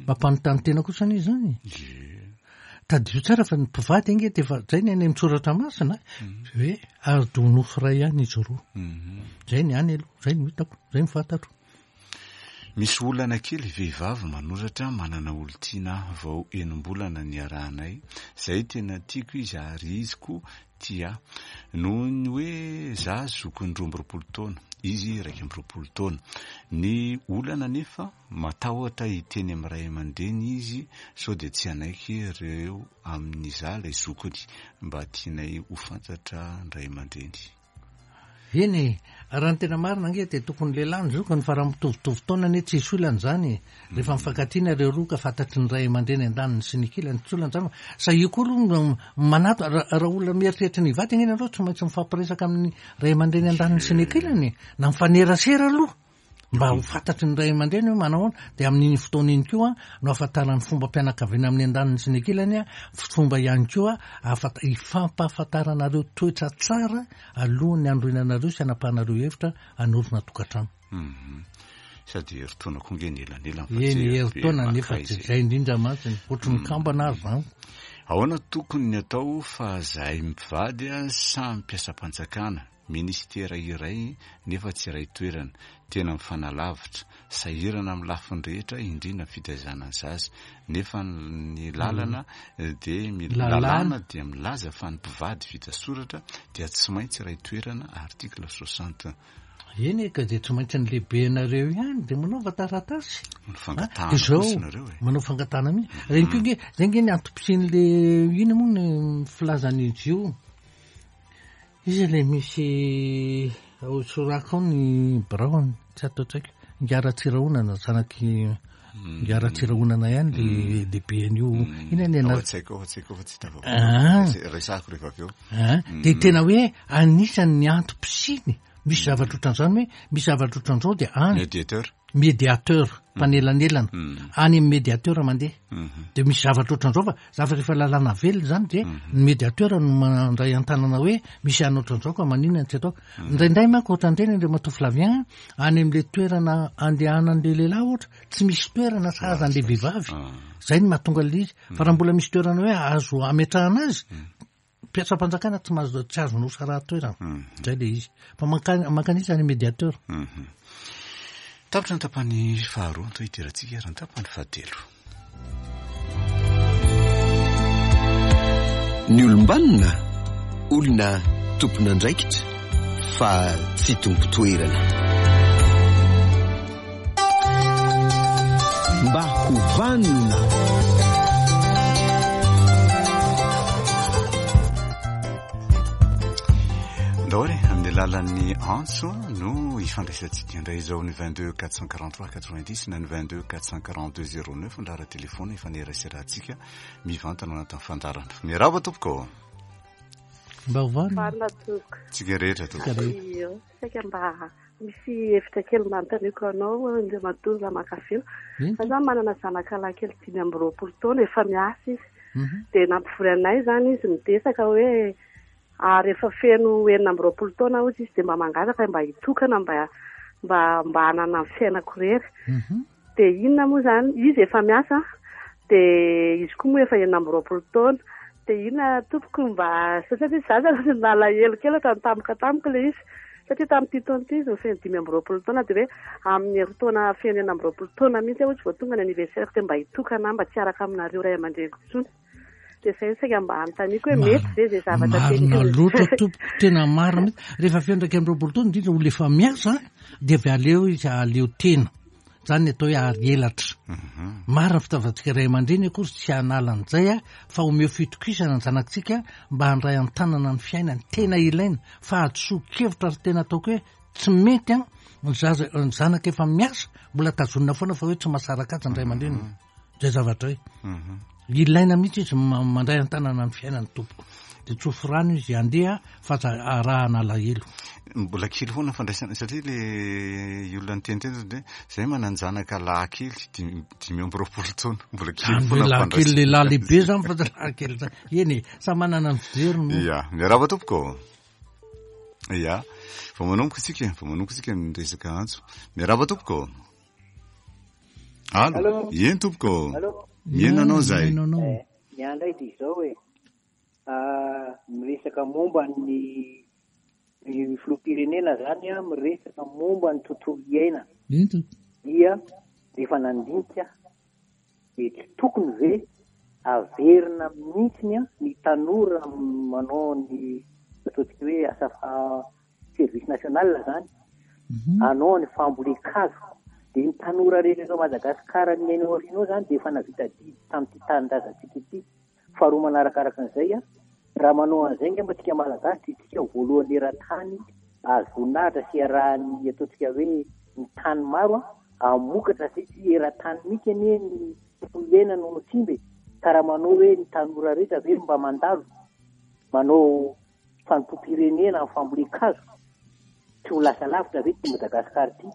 Mampanontany tena kosa anie izany e. Tadidio tsara fa ny mpivady ange dia efa zay ny any amin'ny soratra masina hoe ary do nofo iray ihany izy roa. Zay ny any aloha, zay no hitako, zay no fantatro.
Misy olana kely, vehivavy manoratra manana olon-tiana aho vao enim-bolana niarahanay, zay tena tiako izy ary izy koa tia ahy. Noho ny hoe za zokiny 22 taona, izy 21 taona. Ny olana anefa matahotra hiteny amin'ny ray aman-dreny izy sao dia tsy hanaiky ireo amin'iza ilay zokiny. Mba tianay ho fantatra ny ray aman-dreny.
Eny e, raha ny tena marina ange dia tokony lehilahy ny zokiny fa raha mitovitovy taona anie tsisy olana izany e. Rehefa mifankatia nareo roa ka fantatry ny ray aman-dreny andaniny sy ny ankilany tsy olana izany fa sahia koa aloha ny manato, raha olona mieritreritra ny hivady ange nareo tsy maintsy mifampiresaka amin'ny ray aman-dreny andaniny sy ny ankilany e, na mifanerasera aloha. Mba ho fantatry ny ray aman-dreny hoe manao ahoana, dia amin'iny fotoana iny koa no ahafantarana ny fombam-pianakaviana amin'ny andaniny sy ny ankilany, fomba ihany koa ahafanta-, hifampahafantaranareo toetra tsara alohan'ny hanorenanareo sy hanapahanareo hevitra hanorina tokantrano.
Sady herintaona koa nge ny elanelany
fa tsy Eny, herintaona nefa tsy izay indrindra mantsy, ohatry ny kambana ary izany.
Ahoana tokony ny atao fa zahay mpivady samy mpiasam-panjakana, Ministera iray nefa tsy iray toerana, tena mifanalavitra, sahirana amin'ny lafiny rehetra indrindra ny fitaizana ny zaza, nefa ny lalana dia lalàna dia milaza fa ny mpivady vita soratra dia tsy maintsy iray toerana article 60.
Eny e, ka dia tsy maintsy ny lehibenareo ihany dia manaova taratasy.
Manao fangatahana kosa nareo
e. Manao fangatahana mihitsy. Reny koa nge, zay nge ny antom-pisian'le ina moa ny filazan'izy io. Iza ilay misy. Hosorako ao ny biraony, tsy ato an-tsaiko. Ingahy Ratsirahonana, zanak'i Ingahy Ratsirahonana ihany le lehiben'io. Inona ny
Ao
anarany?
an-tsaiko ao an-tsaiko ao fa tsy tafavoaka.
Ah.
Resahako rehefa avy eo.
Ah, dia tena hoe anisan'ny antom-pisiany misy zavatra ohatran'izany hoe misy zavatra ohatran'izao dia any.
Médiateur.
Médiateur, mpanelanelana. Any amin'ny médiateur mandeha. Dia misy zavatra ohatran'izao fa zavatra efa lalàna velona izany dia ny médiateur no mandray an-tanana hoe misy anao ohatran'izao ka maninona no tsy atao. Indraindray manko ohatran'ireny Andriamatoa Flavien, any amin'ilay toerana andehanan'ilay lehilahy ohatra, tsy misy toerana sahaza an'ilay vehivavy. Izay no mahatonga an'ilay izy. Fa raha mbola misy toerana hoe azo ametrahana azy, Mpiasam-panjakana tsy mahazo tsy azonao sarahan-toerana. Zay le izy. Fa mankany mankanisa any médiateur.
Tapitra ny tapany faharoa, anto hidirantsika ary ny tapany fahatelo.
Ny olom-banona, olona tompon'andraikitra fa tsy tompon-toerana. Mba ho vanona.
Ndao ary amin'ny alalan'ny antso no ifandraisantsika indray izao ny 22 443 90 na ny 22 442 09 ny laharan-telefona ifaneraserantsika mivantana ao anatin'ny fandaharana. Miarahaba tompoko.
Mba ho vanona.
Vanona tompoko.
Tsika rehetra tompoko.
Saika mba misy hevitra kely mba anontaniako anao Andriamatoa Ramakavelo. Za zany manana zanaka lahy kely 25 taona efa miasa izy. Dia nampivory anay izany izy nidesaka hoe ary efa feno 26 taona hozy izy dia mba mangataka mba hitokana mba mba mba hanana ny fiainako irery. Dia inona moa izany, izy efa miasa dia izy koa moa efa 26 taona. Dia inona tompoko mba, satria za zany nalahelo kely ohatran'ny tampoka tamiko ilay izy. Satria tamin'ity taona ity izy no feno 25 taona dia hoe amin'ny herintaona feno 26 taona mihitsy aho hozy vao tonga ny anniversaire-ko dia mba hitokana aho mba tsy hiaraka aminareo ray aman-dreniko intsony. Dia izay no saika mba anontaniako hoe mety ve izay zavatra
Marina
tenenina.
loatra tompoko, tena marina mihitsy. Rehefa feno 21 taona indrindra olona efa miasa dia avy aleo izy ahaleo tena. Izany ny atao hoe ary elatra. Marina ny fitiavantsika ray aman-dreny akory tsy hanala an'izay fa omeo fitokisana ny zanakitsika mba handray an-tanana ny fiainany. Tena ilaina. Fahadisoan-kevitra ary tena ataoko hoe tsy mety an, ny zaza, ny zanaka efa miasa mbola tazonina foana fa hoe tsy mahasaraka azy ny ray aman-dreniny. Zay zavatra zay. Ilaina mihitsy izy mandray an-tanana ny fiainany tompoko. Dia tsofy rano izy handeha fa aza arahana alahelo.
Mbola kely foana fandraisana satria le olona niteny teny zany hoe zay manan-janaka lahy kely 25 taona mbola kely
Zany hoe
foana
lahy kely
fandraisana.
lehilahy lehibe zany fa tsy lahy kely zany. Eny e, samy manana ny fijeriny moa.
Ya, miarahaba tompoko. Ya, vao manomboka isika, vao manomboka isika ny resaka antso. Miarahaba tompoko. Allo.
Allo.
Eny tompoko.
Allo.
Mihaino anao zahay.
Mihaino anao.
Ny ahy indray dia izao e. Miresaka momba ny ny filoham-pirenena izany an, miresaka momba ny tontolo iainana.
Eny tompoko.
Dia rehefa nandinika dia tsy tokony ve averina mihitsy ny tanora manao ny ataontsika hoe asa service national izany, hanao ny fambolen-kazo. Dia ny tanora rehetra eto Madagasikara miaina ao aoriana ao izany dia efa nahavita adidy tamin'ity tanindrazantsika ity. Faharoa manarakaraka an'izay, raha manao an'izay angamba tsika Malagasy dia tsika voalohany eran-tany azo voninahitra sy iarahan'ny ataontsika hoe ny tany maro hamokatra satria eran-tany mihitsy anie ny tontolo iainana no simba e. Ka raha manao hoe ny tanora rehetra ve mba mandalo manao fanompoam-pirenena amin'ny fambolen-kazo, tsy ho lasa lavitra ve ity Madagasikara ity?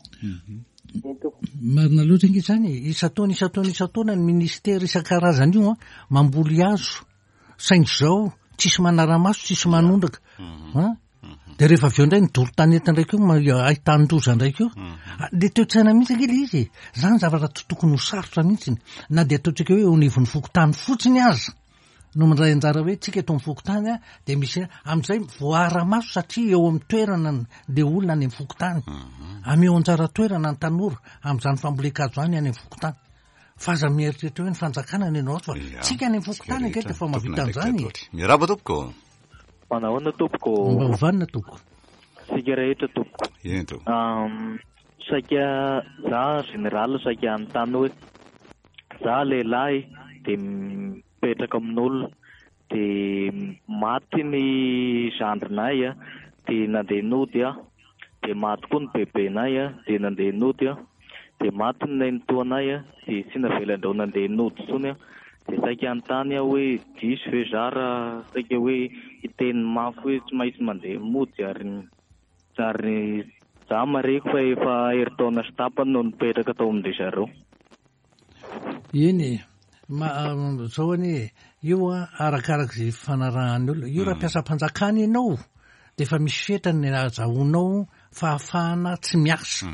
Eny tompoko.
Marina loatra ange izany e. Isan-taona, isan-taona, isan-taona ny ministera isan-karazany io an, mamboly hazo. Saingy izao, tsisy manara-maso, tsisy manondraka. An? Dia rehefa avy eo indray ny doro tanety indray koa, ahitan-doza indray koa. Le toe-tsaina mihitsy ange le izy e. Izany zavatra tsy tokony ho sarotra mihitsy. Na dia ataontsika hoe eo anivon'ny fokontany fotsiny aza no mandray anjara hoe tsika eto amin'ny fokontany a, dia misy amin'izay voaara-maso satria eo amin'ny toerana le olona any amin'ny fokontany. Ameo anjara toerana ny tanora amin'izany fambolen-kazo izany any amin'ny fokontany. Fa aza mieritreritra hoe ny fanjakana no enao ato fa
Ya,
tsika any amin'ny fokontany ange dia efa mahavita an'izany e.
Miarahaba tompoko.
Manahoana tompoko?
Mba ho vanona tompoko.
Tsika rehetra tompoko.
Eny tompoko.
Saika za général saika hanontany hoe za lehilahy dia mipetraka amin'olona dia maty ny zandrinay a, dia nandeha nody aho. Dia maty koa ny bebenay a, dia nandeha nody a. Dia maty ny nenitoanay a, dia tsy navelan-dreo nandeha nody intsony a. Dia saika hanontany aho hoe diso ve za raha saika hoe hiteny mafy hoe tsy maintsy mandeha mody ary ary za mareko fa efa herintaona sy tapany no nipetraka tao amin-dry zareo.
Eny e, ma, zao anie e, io a arakarak'izay ifanarahan'ny olona, io raha mpiasam-panjakana ianao dia efa misy fetrany ny ahazahoanao fahafahana tsy miasa.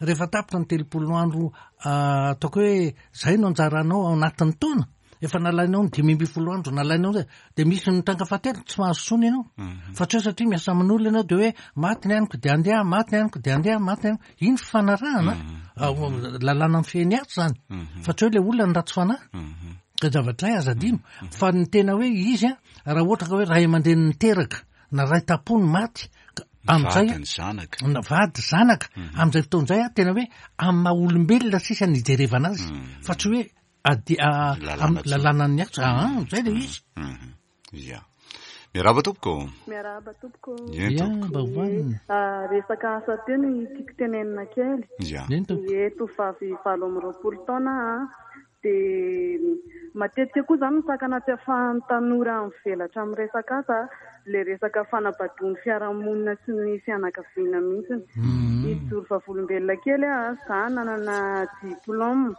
Rehefa tapitra ny 30 andro ataoko hoe zay no anjaranao ao anatin'ny taona, efa nalainao ny 15 andro, nalainao zay, dia misy ny tranga fahatelo tsy mahazo intsony ianao. Fa tsy hoe satria miasa amin'olona ianao dia hoe maty ny aniko dia andeha, maty ny aniko dia andeha, maty ny aniko. Iny fifanarahana, lalàna mifehy ny asa izany. Fa tsy hoe ilay olona no ratsy fanahy. Ka zavatra iray aza adino. Fa ny tena hoe izy an, raha ohatra ka hoe ray aman-dreny niteraka, na ray tam-po no maty, ka amin'izay
Vady ny zanaka.
Na vady zanaka. Amin'izay fotoana izay an, tena hoe amin'ny maha olombelona sisa no ijerevana azy. Fa tsy hoe ady,
Lalàna tsotra.
lalànan'ny asa. Aa, izay ilay izy.
Ia. Miarahaba tompoko.
Miarahaba tompoko.
Eny
Ia,
tompoko.
mba hohanina.
Ah, resaka asa teo no tiako tenenina kely.
Ia.
Eny tompoko.
Ie, tovovavy 28 taona aho. Dia matetika koa izany ny sakana tsy ahafahan'ny tanora mivelatra amin'ny resaka asa, ilay resaka fanabadoan'ny fiarahamonina sy ny fianakaviana mihitsy. Hijoro vavolombelona kely aho, izaho nanana diplaoma.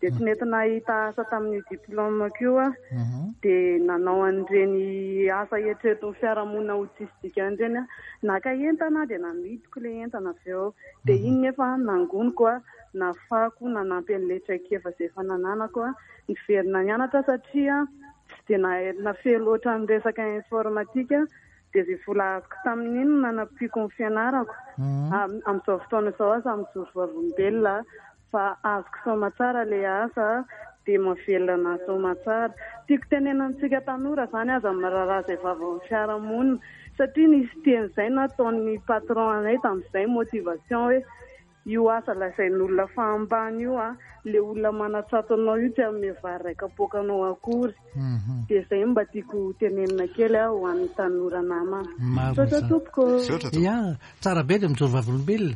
Dia tsy nety nahita asa tamin'io diplaomako io aho. Dia nanao an'ireny asa eritreretin'ny fiarahamonina ho tsisy dikany ireny aho. Naka entana aho dia namidiko ilay entana avy eo. Dia iny nefa nangoniko aho, nahafahako nanampy an'ilay traikefa izay efa nananako aho. Niverina nianatra aho satria tsy dia nahay nafehy loatra ny resaka informatika. Dia izay vola azoko tamin'iny no nanampiako ny fianarako. Amin'izao fotoana izao aho samy mijoro vavolombelona Fa azoko soamatsara le asa dia mahavelona anahy soamatsara. Tiako tenenina amintsika tanora zany aza miraharaha izay vavan'ny fiarahamonina satria nisy teny izay nataon'ny patron anay tamin'izay motivation hoe io asa lazain'olona fa ambany io a, le olona manatsato anao io tsy hanome vary iray kapoaka anao akory. Dia izay no mba tiako tenenina kely ho an'ny tanora namana.
Marina
Misaotra
izany.
tompoko.
Misaotra tompoko.
Ya, tsara be ilay mijoro vavolombelona.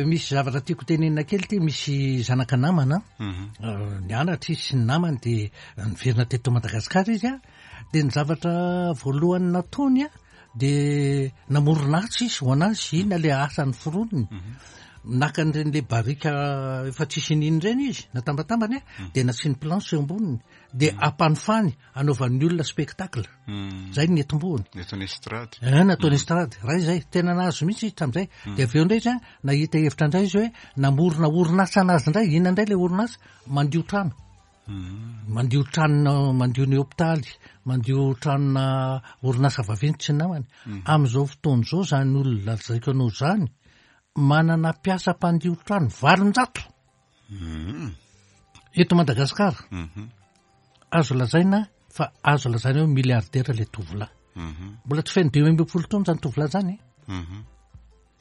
Misy zavatra tiako tenenina kely ity, misy zanaka namana, nianatra izy sy ny namany dia niverina teto Madagasikara izy an, dia ny zavatra voalohany nataony an, dia namorona asa izy ho an'azy, inona ilay asa noforoniny? Naka an'ireny ilay barika efa tsisy iniana ireny izy, natambatambany an, dia nasiany planche eo amboniny. Dia ampanofany anaovan'ny olona spectacle. Zay ny netombohony.
Nataony estrade.
Eh, nataony estrade. Raha izay, tena nahazo mihitsy izy tamin'izay. Dia avy eo indray izy an, nahita hevitra indray izy hoe namorona orinasa anazy indray. Inona indray ilay orinasa? Mandio trano. Mandio tranona, mandio ny hopitaly, mandio tranona orinasa vaventy sy ny namany. Amin'izao fotoana izao izany olona lazaiko anao izany, manana mpiasa mpandio trano 800. Eto Madagasikara, azo lazaina fa azo lazaina hoe milliardaire ilay tovolahy. Mbola tsy feno 15 taona izany tovolahy izany.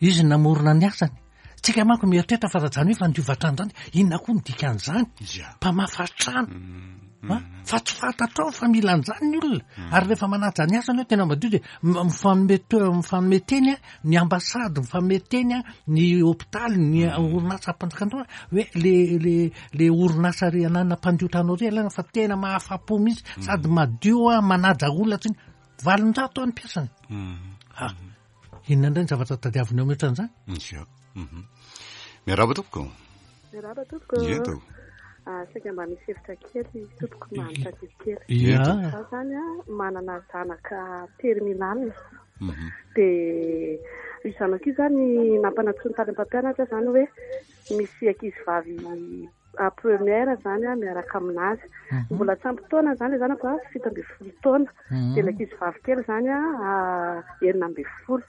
Izy namorona ny asany. Tsika manko mieritreritra fa raha izany hoe fandiova trano izany, inona koa ny dikan'izany? Mpamafa trano. Ha? Fa tsy fantatrao fa mila an'izany ny olona. Ary rehefa manaja ny asany hoe tena madio dia mifanome mifanome teny a, ny ambasady, mifanome teny a, ny hopitaly, ny orinasam-panjakana hoe le le le orinasa ry anana mpandio trano ry alana fa tena mahafa-po mihitsy sady madio a, manaja olona tsy 800 ny mpiasany. Ha. Inona indray ny zavatra tadiavinao mihoatra an'izany?
Ia. Miarahaba tompoko.
Miarahaba tompoko.
Ie tompoko.
Ah, saika mba misy hevitra kely tompoko mba mitadidy kely.
Ia.
Izaho izany a, manana zanaka terminal. Dia io zanako io izany nampanantsoiny tany am-pampianatra izany hoe misy ankizivavy à première izany a, miaraka aminazy. Mbola tsy ampy taona izany ilay zanako a, 17 taona. Dia ilay ankizivavy kely izany a, 16.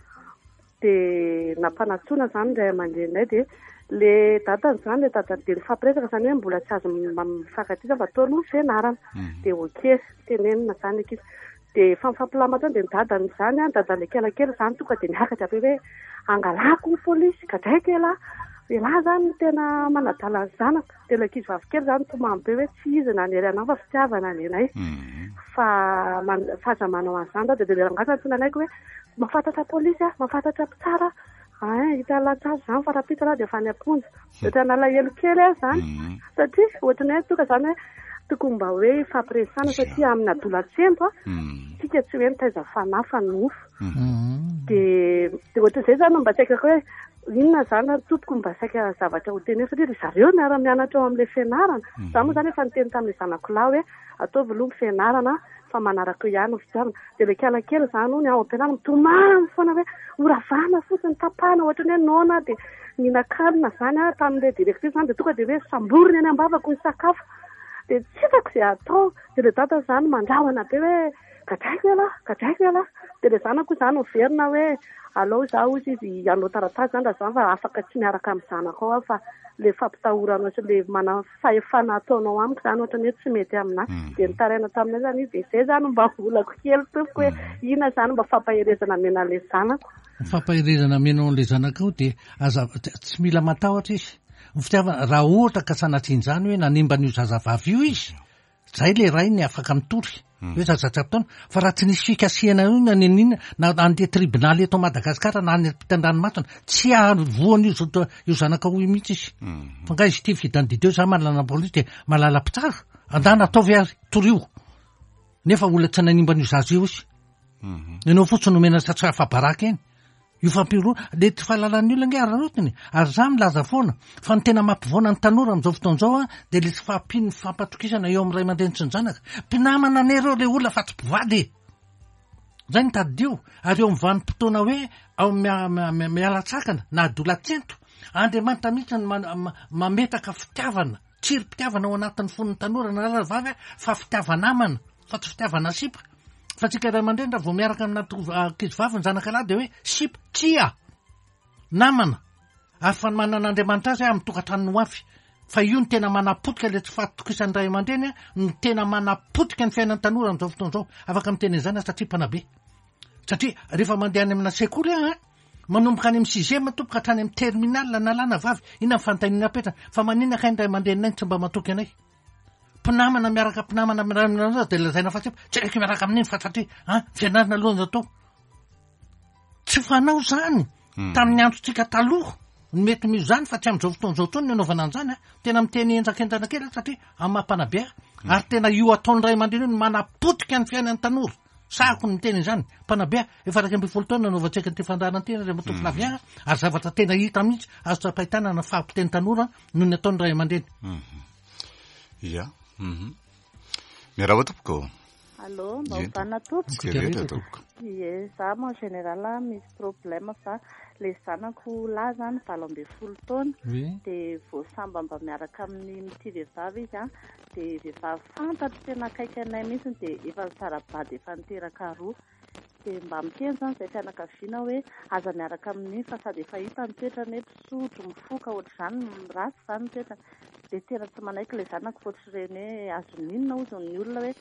Dia nampanantsoina izany ny ray aman-dreninay dia le dadany izany, le dadany dia nifampiresaka izany hoe mbola tsy azo mifankatia izany fa atao aloha ny fianarana. Dia ok, tenenina izany ny ankizy. Dia efa mifampilamatra eo dia ny dadany izany, ny dadan'ilay kelikely izany tonga dia niakatra be hoe angalako ny polisy, gadraiko elah, elah izany no tena manadala ny zanako. Dia ilay ankizivavy kely izany nitomany be hoe tsy izy nanery anah fa fitiavana nenay. Fa fa aza manao an'izany dada. Dia ilay rangahy izany tsy nanaiky hoe mahafantatra polisy aho, mahafantatra mpitsara aho. Ay, hita latsara izany fa rahampitso aloha dia efa any am-ponja. Dia ohatran'ny nalahelo kely aho izany. Satria ohatran'ny hoe tonga izany hoe tokony mba hoe hifampiresahana satria amin'ny adolantsento a, tsika tsy hoe mitaiza fanahy fa nofo. Dia dia ohatran'izay izany no mba tsy haiko hoe inona izany ary tompoko mba saika zavatra ho tenenina satria ry zareo miara-mianatra ao amin'ilay fianarana. Izaho moa izany efa niteny tamin'ilay zanako lahy hoe ataovy aloha ny fianarana fa manaraka eo ihany ny fitiavana. Dia ilay kala kely izany hono ao am-pianarana mitomany foana hoe horavana fotsiny, tapahana ohatran'ny hoe noana aho dia nihinan-kanina izany aho tamin'ilay directrice izany dia tonga dia hoe samboriny any am-bavako ny sakafo. Dia tsy hitako izay hatao. Dia ilay dada izany mandrahona be hoe gadraiko ialahy, gadraiko ialahy. Dia ilay zanako izany miverina hoe alao izaho hozy izy hanao taratasy izany raha izany fa afaka tsy miaraka amin'ny zanakao aho fa ilay fampitahoranao sy ilay mana fahefana ataonao amiko izany ohatran'ny hoe tsy mety aminà. Dia nitaraina taminay izany izy dia izay izany mba olako kely tompoko hoe inona izany mba fampaherezana omena an'ilay zanako.
Ny fampaherezana omenao an'ilay zanakao dia aza tsy mila matahotra izy. Ny fitiavana, raha ohatra ka sanatrian'izany hoe nanimba an'io zazavavy io izy, Zay le rainy afaka mitory hoe zaza tsy ampy taona fa raha tsy nisy fikasihana io na n'inona na andeha tribonaly eto Madagasikara na any ampitan-dranomasina tsy hahavoan'io zo- io zanakao io mihitsy izy. Fa nga izy ity fidandideo za manana polisy dia mahalala mpitsara andana ataovy ary torio nefa olona tsy nanimba an'io zaza io izy. Ianao fotsiny nomena tsy afa-baraka eny. Io fampihorohoroana, le tsy fahalalan'ny olona ange araraotiny e! Ary za milaza foana fa ny tena mampivoana ny tanora amin'izao fotoana izao an, dia le tsy fahampian'ny fifampatokisana eo amin'ny ray aman-dreny sy ny zanaka. Mpinamana anie ireo le olona fa tsy mpivady e! Zay no tadidio. Ary eo amin'ny vanim-potoana hoe ao miala-tsakana na adolantsento, Andriamanitra mihitsy no mametaka fitiavana. Tsirim-pitiavana ao anatin'ny fon'ny tanora na lahy na vavy fa fitiava-namana fa tsy fitiavana sipa. Fa tsika ray aman-dreny raha vao miaraka amina ankizy vavy ny zanaka lahy dia hoe sipa. Tsia! Namana. Ary fa ny manan'Andriamanitra azy amin'ny tokantranony ho avy. Fa io no tena manapotika ilay tsy fahatokisan'ny ray aman-dreny no tena manapotika ny fiainan'ny tanora amin'izao fotoana izao. Afaka miteny an'izany aho satria mpanabe. Satria rehefa mandeha any amina sekoly aho an, manomboka any amin'ny sixième tompoko hatrany amin'ny terminale na lahy na vavy, inona ny fanontaniana apetrany? Fa maninona kay ny ray aman-dreninay no tsy mba matoky anay? Mpinamana miaraka mpinamana miaraka dia lazaina fa tsy tsy haiko miaraka amin'iny fa satria an fianarana aloha no atao. Tsy fanao izany tamin'ny androntsika taloha no mety misy izany fa tsy amin'izao fotoana izao intsony ny anaovana an'izany an. Tena miteny henjakenjana kely aho satria amin'ny maha mpanabe ahy ary tena io ataon'ny ray aman-dreny io no manapotika ny fiainan'ny tanora. Sahako ny miteny izany. Mpanabe aho, efa 11 taona nanaovantsika an'ity fandaharana ity Andriamatoa Flavien a, ary zavatra tena hita mihitsy, azo tsapain-tanana ny fahapotehan'ny tanora noho ny ataon'ny ray aman-dreny.
Ia. Miarahaba tompoko.
Allô, mba hovana tompoko.
Tsika rehetra tompoko.
Ie, za moa en général misy problème fa le zanako lahy zany 18 taona de vao samba mba miaraka amin'ny mitia vehivavy izy an, Dia vehivavy fantatro tena akaiky anay mihitsy dia efa nisara-bady efa niteraka roa. Dia mba miteny izany izahay fianakaviana hoe aza miaraka amin'iny fa sady efa hita ny toetrany hoe mpisotro, mifoka ohatr'izany, ratsy izany ny toetrany. Dia tena tsy manaiky ilay zanako fa ohatr'ireny hoe azon'ny inona hozy ny olona hoe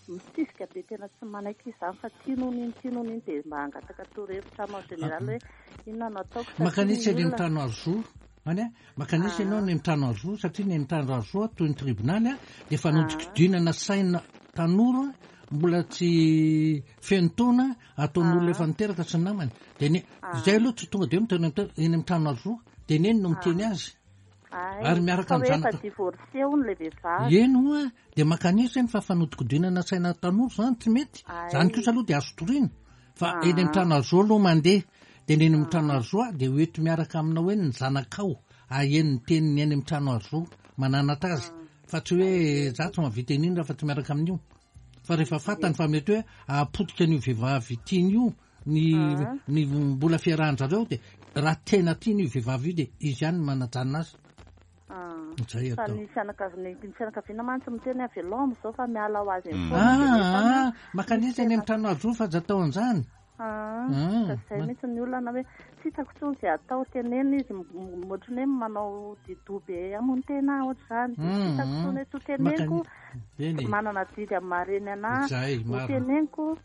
misisika be tena tsy manaiky izy izany fa tiany hono iny, tiany hono iny. Dia mba hangataka torohevitra aminy en général hoe inona no ataoko satria
Mankanesa eny amin'ny trano azo Any a, mankanesa ianao any amin'ny trano azo satria ny any trano azo toy ny tribonaly a, dia fanodikodinana saina tanora mbola tsy feno taona ataon'olona efa niteraka sy ny namany. Dia ny izay aloha tsy tonga dia miteny eny amin'ny trano azo dia neny no miteny azy. Ary miaraka amin'ny
zanaka. Efa divorcé hono ilay vehivavy.
Eny hoa, dia mankanesa eny fa fanodikodinana saina tanora izany tsy mety. Izany kosa aloha dia azo toriana. Fa eny amin'ny trano azo aloha mandeha, dia ny eny amin'ny trano azo dia ho eto miaraka aminao eny ny zanakao, aheno ny teniny eny amin'ny trano azo, mananatra azy, fa tsy hoe za tsy mahavita an'iny raha fa tsy miaraka amin'io. Fa rehefa fantany fa mety hoe hahapotika an'io vehivavy tiany io ny ny mbola fiarahan-dRareo dia raha tena tiany io vehivavy io dia izy ihany no manajanona azy.
Zay Fa atao. ny fianakaviana ny fianakaviana mantsy miteny hoe avelao amin'izao fa miala ho azy eny foana dia nefa
Ah, ah, makanisa eny amin'ny trano hazo fa aza atao an'izany.
Ah, ka zay mihitsy ny olana hoe tsy hitako intsony izay atao, tenenina izy ohatran'ny hoe manao di-doha be hamono tena ohatr'izany, dia tsy hitako intsony hoe tsy ho teneniko, manana adidy amin'ny maha reny anà, ho teneniko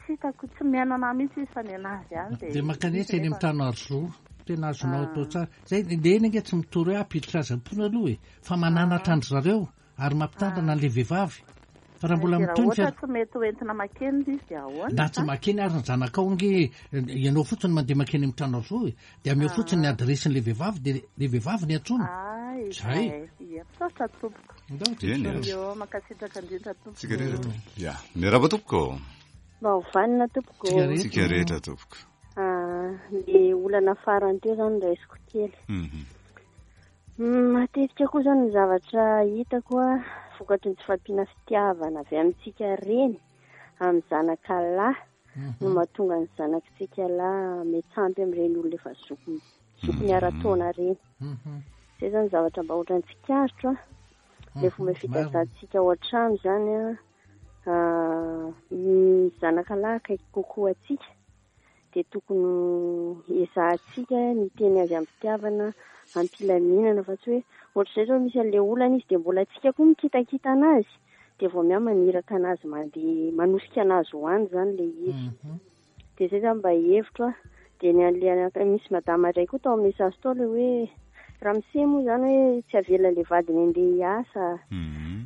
Tsy hitako, tsy mihaino anah mihitsy izy fa ny anazy ihany
dia. Dia mankanesa eny amin'ny trano hazo, tena azonao atao tsara. Zay, le eny ange tsy mitory hoe hampiditra azy am-pony aloha e, fa mananatra an-dry zareo ary mampitandrina an'ilay vehivavy. Fa raha mbola mitohy ny
fiara. Tsy mety ho entina makeny izy dia ahoana?
Na tsy makeny ary ny zanakao ange ianao fotsiny mandeha makeny amin'ny trano azo e. Dia ameo fotsiny ny adiresin'ilay vehivavy dia ilay vehivavy ny antsoina.
Zay. Ia, misaotra tompoko.
Eny
e. Io, mankasitraka indrindra tompoko.
Tsika rehetra tompoko. Ya, miarahaba tompoko.
Mba ho vanona tompoko.
Tsika rehetra tompoko.
Ah, ny olana farany teo zany raisiko kely.
Mhm.
Matetika koa zany ny zavatra hitako a, vokatry ny tsy fahampiana fitiavana avy amintsika reny amin'ny zanaka lahy no mahatonga ny zanakitsika lahy metsampy amin'ireny olona efa zokiny zokiny ara-taona ireny. Izay zany zavatra mba ohatran'ny tsikaritro a. Ilay fomba fitaizantsika ao an-trano zany a, ny zanaka lahy akaiky kokoa antsika dia tokony ezahantsika ny hiteny azy am-pitiavana, am-pilaminana fa tsy hoe ohatr'izay izao misy an'ilay olana izy dia mbola antsika koa mikitakita anazy dia vao miha maniraka anazy mandeha manosika anazy ho any izany ilay izy. Dia izay izany mba hevitro a. Dia ny an'ilay anaka- misy madama iray koa tao amin'ny message tao ilay hoe ramose moa izany hoe tsy avelan'ilay vadiny handeha hiasa.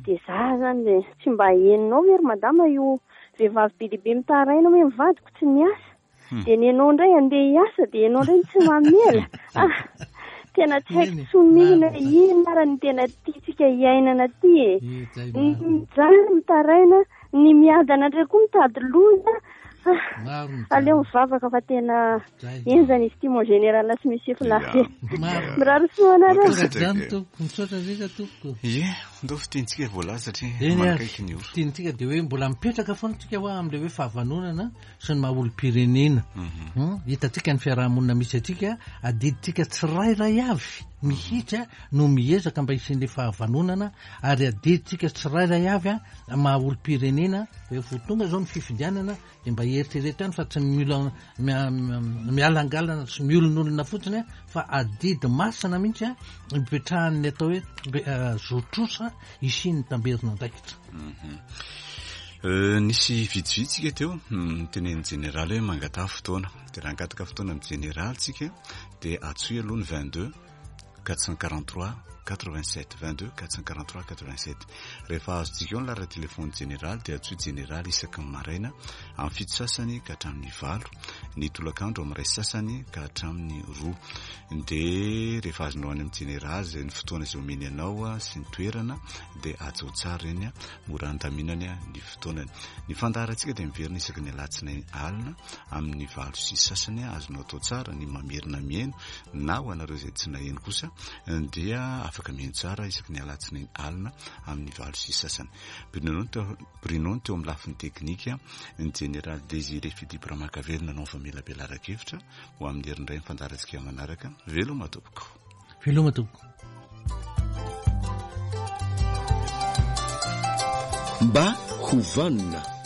Dia za izany dia tsy mba henonao ve ry madama io Vehivavy be dia be mitaraina hoe ny vadiko tsy miasa. Dia ny anao indray andeha hiasa dia ianao indray no tsy mamela. Ah, tena tsy haiko intsony mihitsy hoe inona ary no tena tiantsika hiainana aty e. Ny mijaly mitaraina, ny miadana indray koa mitady loza. Ah, aleo mivavaka fa tena henjana izy ity mon général sy monsieur Flavé. Mirary soa anareo.
Zany tompoko, misaotra indrindra tompoko.
Ie, ndao fitenintsika voalaza satria
Eny ary,
manakaiky ny ora.
fitenintsika dia hoe mbola mipetraka foana tsika hoa amin'ilay hoe fahavanonana sy ny maha olom-pirenena. Hitantsika ny fiaraha-monina misy antsika, adidintsika tsirairay avy mihitsy no miezaka mba hisian'ilay fahavanonana ary adidintsika tsirairay avy maha olom-pirenena rehefa ho tonga izao ny fifidianana Dia mba eritrereto ihany fa tsy mila mialangalana sy miolonolona fotsiny fa adidy masina mihitsy ipetrahan'ny atao hoe zo trosa hisian'ny tamberin'andraikitra.
Nisy vitsivitsy tsika teo nitenenin'ny jeneraly hoe mangataha fotoana. Dia raha hangataka fotoana amin'ny jeneraly tsika dia antsoy aloha ny 22 443 87 22 443 87 Rehefa azontsika eo ny laharan-telefaon'ny jeneraly dia antsoy jeneraly isaky ny maraina amin'ny fito sasany ka hatramin'ny valo, ny tolakandro amin'ny iray sasany ka hatramin'ny roa. Dia rehefa azonao any amin'ny jeneraly izay ny fotoana izay omeny anao sy ny toerana dia hajao tsara ireny, mora andaminany ny fotoanany. Ny fandaharantsika dia miverina isaky ny alatsinainy alina amin'ny valo sy sasany, azonao atao tsara ny mamerina mihaino na ho anareo izay tsy naheno kosa dia afaka mihaino tsara isaky ny alatsinainy alina amin'ny valo sy sasany. Bruno Bruno teo amin'ny lafiny teknika, ny jeneraly Désiré Philippe Ramakavelo nanao ny famelabelaran-kevitra ho amin'ny herin'ny iray ny fandaharantsika manaraka. Veloma tompoko.
Veloma tompoko.
Mba ho vanona.